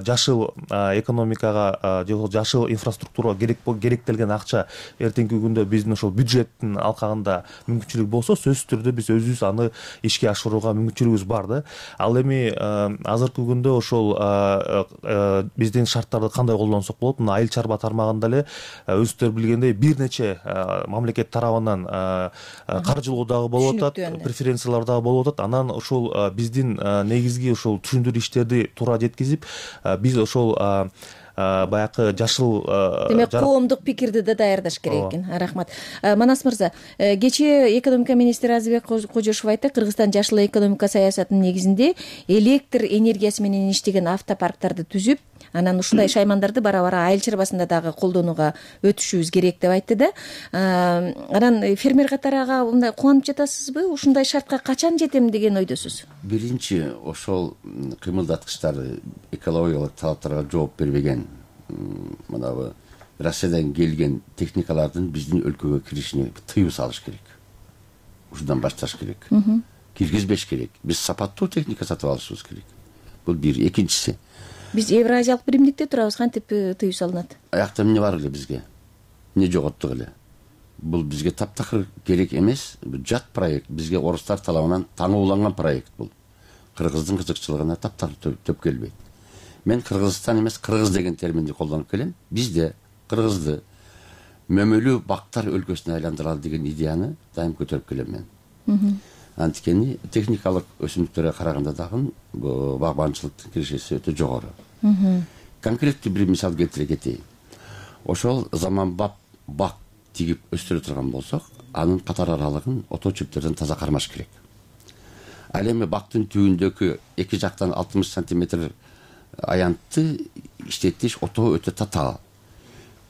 жашыл экономикага же болбосо жашыл инфраструктурага керек керектелген акча эртеңки күндө биздин ошол бюджеттин алкагында мүмкүнчүлүк болсо, сөзсүз түрдө биз өзүбүз аны ишке ашырууга мүмкүнчүлүгүбүз бар да. Ал эми азыркы күндө ошол биздин шарттарды кандай колдонсок болот? Мына айыл чарба тармагында эле өзүңүздөр билгендей бир нече мамлекет тарабынан каржылоо дагы болуп атат, преференциялар дагы болуп атат. Анан ошол биздин негизги ошол түшүндүрүү иштерди туура жеткизип, биз ошол баягы жашыл демек коомдук пикирди да даярдаш керек экен. Рахмат. Манас мырза, кечээ экономика министри Азырбек Кожошов айтты, Кыргызстан жашыл экономика саясатынын негизинде электр энергиясы менен иштеген автопарктарды түзүп, анан ушундай шаймандарды бара-бара айыл чарбасында дагы колдонууга өтүшүбүз керек деп айтты да. Анан фермер катарага мындай кубанып жатасызбы? Ушундай шартка качан жетем деген ойдосуз? Биринчи, ошол кыймылдаткычтар экологиялык талаптарга жооп бербеген, мынабы Россиядан келген техникалардын биздин өлкөгө киришине тыюу салыш керек. Ушудан башташ керек. Киргизбеш керек. Биз сапаттуу техника сатып алышыбыз керек. Бул бир. Экинчиси, биз Евразиялык биримдикте турабыз, кантип тыюу салынат? Аякта эмне бар эле бизге? Эмне жоготтук эле? Бул бизге таптакыр керек эмес. Жат проект, бизге орустар талабынан таңууланган проект бул. Кыргыздын кызыкчылыгына таптакыр төп келбейт. Мен Кыргызстан эмес, Кыргыз деген терминди колдонуп келем. Бизде Кыргызды мөмөлүү бактар өлкөсүнө айландыралы деген идеяны дайым көтөрүп келем мен. Анткени техникалык өсүмдүктөргө караганда дагы багбанчылыктын киришеси өтө жогору. Конкреттүү бир мисал келтире кетейин. Ошол заманбап бак тигип өстүрө турган болсок, анын катар аралыгын ото чөптөрдөн таза кармаш керек. Ал эми бактын түбүндөгү эки жактан алтымыш сантиметр аянтты иштетиш ото өтө татаал.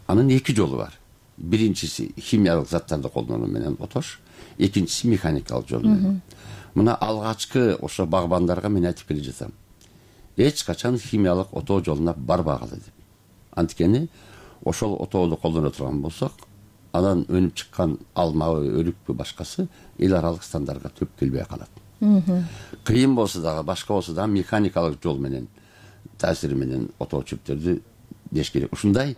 Анын эки жолу бар. Биринчиси химиялык заттарды колдонуу менен отош, экинчиси механикалык жол менен. Мына алгачкы ошо багбандарга мен айтып келе жатам. Эч качан химиялык ото жолуна барбагыла деп. Анткени ошол отоону колдоно турган болсок, анан өнүп чыккан алмабы, өрүкпү башкасы эл аралык стандартка төп келбей калат. Кыйын болсо дагы, башка болсо дагы механикалык жол менен таасири менен ото чөптөрдү деш керек. Ушундай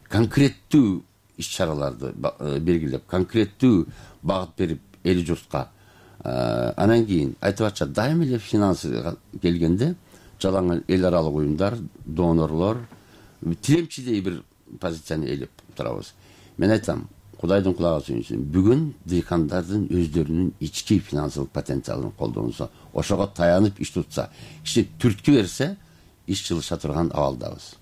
конкреттүү иш-чараларды белгилеп, конкреттүү багыт берип эл журтка, анан кийин айтып атча дайым эле финансыга келгенде жалаң эл аралык уюмдар, донорлор тиремчидей бир позицияны ээлеп турабыз. Мен айтам, Кудайдын кулагы сүйүнсүн, бүгүн дыйкандардын өздөрүнүн ички финансылык потенциалын колдонсо, ошого таянып иш тутса, киши түрткү берсе, иш жылыша турган абалдабыз.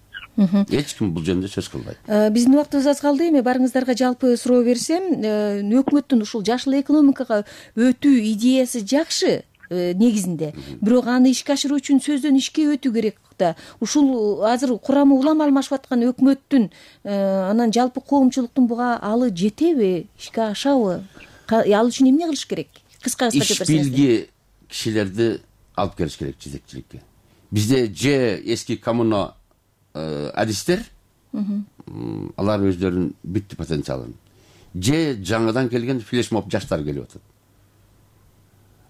Эч ким бул жөнүндө сөз кылбайт. Биздин убактыбыз аз калды. Эми барыңыздарга жалпы суроо берсем, өкмөттүн ушул жашыл экономикага өтүү идеясы жакшы негизинде, бирок аны ишке ашыруу үчүн сөздөн ишке өтүү керек да. Ушул азыр курамы улам алмашып аткан өкмөттүн, анан жалпы коомчулуктун буга алы жетеби, ишке ашабы? Ал үчүн эмне кылыш керек? Кыска кыска айтып берсеңиз. Иш билги кишилерди алып келиш керек жетекчиликке. Бизде же эски коммуна адистер, алар өздөрүнүн бүттү потенциалын, же жаңыдан келген флешмоб жаштар келип атат.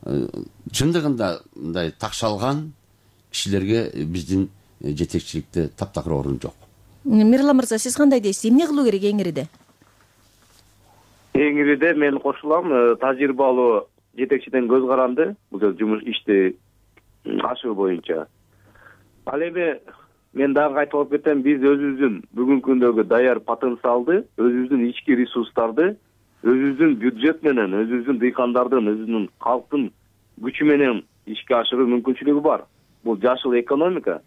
Чындыгында мындай такшалган, кишилерге биздин жетекчиликте таптакыр орун жок. Мирлан мырза, сиз кандай дейсиз? Эмне кылуу керек эңириде? Эңириде мен кошулам, тажрыйбалуу жетекчиден көз каранды бул жумуш ишти ашыгуу боюнча. Ал эми мен дагы кайтып алып кетем, биз өзүбүздүн бүгүнкү күндөгү даяр потенциалды, өзүбүздүн ички ресурстарды, өзүбүздүн бюджет менен, өзүбүздүн дыйкандардын, өзүбүздүн калктын күчү менен ишке ашыруу мүмкүнчүлүгү бар. Бул жашыл экономика,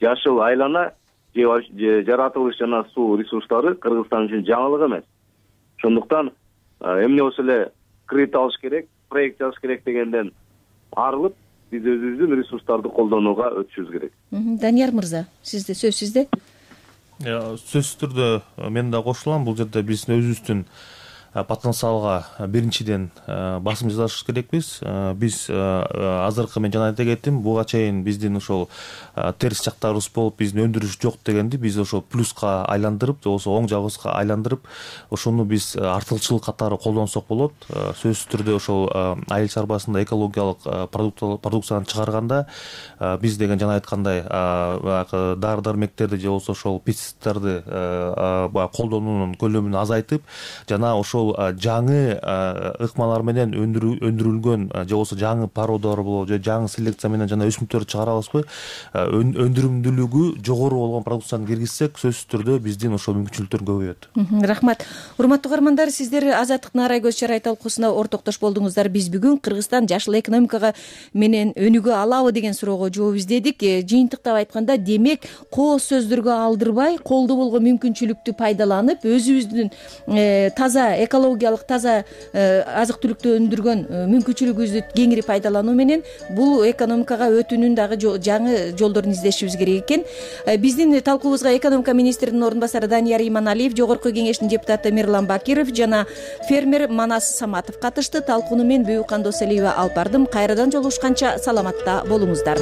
жашыл айлана же жаратылыш жана суу ресурстары Кыргызстан үчүн жаңылык эмес. Ошондуктан эмне болсо эле кредит алыш керек, проект жазыш керек дегенден арылып, биз өзүбүздүн ресурстарды колдонууга өтүшүбүз керек. Данияр мырза, сизде сөз сизде. Сөзсүз түрдө мен да кошулам. Бул жерде биз өзүбүздүн потенциалга биринчиден басым жасаш керекпиз. Биз азыркы мен жана айта кеттим, буга чейин биздин ошол терс жактарыбыз болуп, биздин өндүрүш жок дегенди биз ошол плюска айландырып, же болбосо оң жагыбызга айландырып, ошону биз артыкчылык катары колдонсок болот. Сөзсүз түрдө ошол айыл чарбасында экологиялык продукцияны чыгарганда биз деген жана айткандай дары дармектерди же болбосо ошол пестициддарды колдонуунун көлөмүн азайтып, жана ошол жаңы ыкмалар менен өндүрүлгөн же болбосо жаңы породалар болобу, же жаңы селекция менен жана өсүмдүктөрдү чыгарабызбы, өндүрүмдүүлүгү жогору болгон продукцияны киргизсек, сөзсүз түрдө биздин ошол мүмкүнчүлүктөр көбөйөт. Рахмат. Урматтуу угармандар, сиздер Азаттык Наарай көз чарай талкуусуна ортоктош болдуңуздар. Биз бүгүн Кыргызстан жашыл экономикага менен өнүгө алабы деген суроого жооп издедик. Жыйынтыктап айтканда, демек кооз сөздөргө алдырбай, колдо болгон мүмкүнчүлүктү пайдаланып, өзүбүздүн таза экологиялык таза азык түлүктү өндүргөн мүмкүнчүлүгүбүздү кеңири пайдалануу менен бул экономикага өтүүнүн дагы жаңы жолдорун издешибиз керек экен. Биздин талкуубузга экономика министринин орун басары Данияр Иманалиев, жогорку кеңештин депутаты Мирлан Бакиров жана фермер Манас Саматов катышты. Талкууну мен Бүйүк Кандос Элиева алып бардым. Кайрадан жолугушканча саламатта болуңуздар.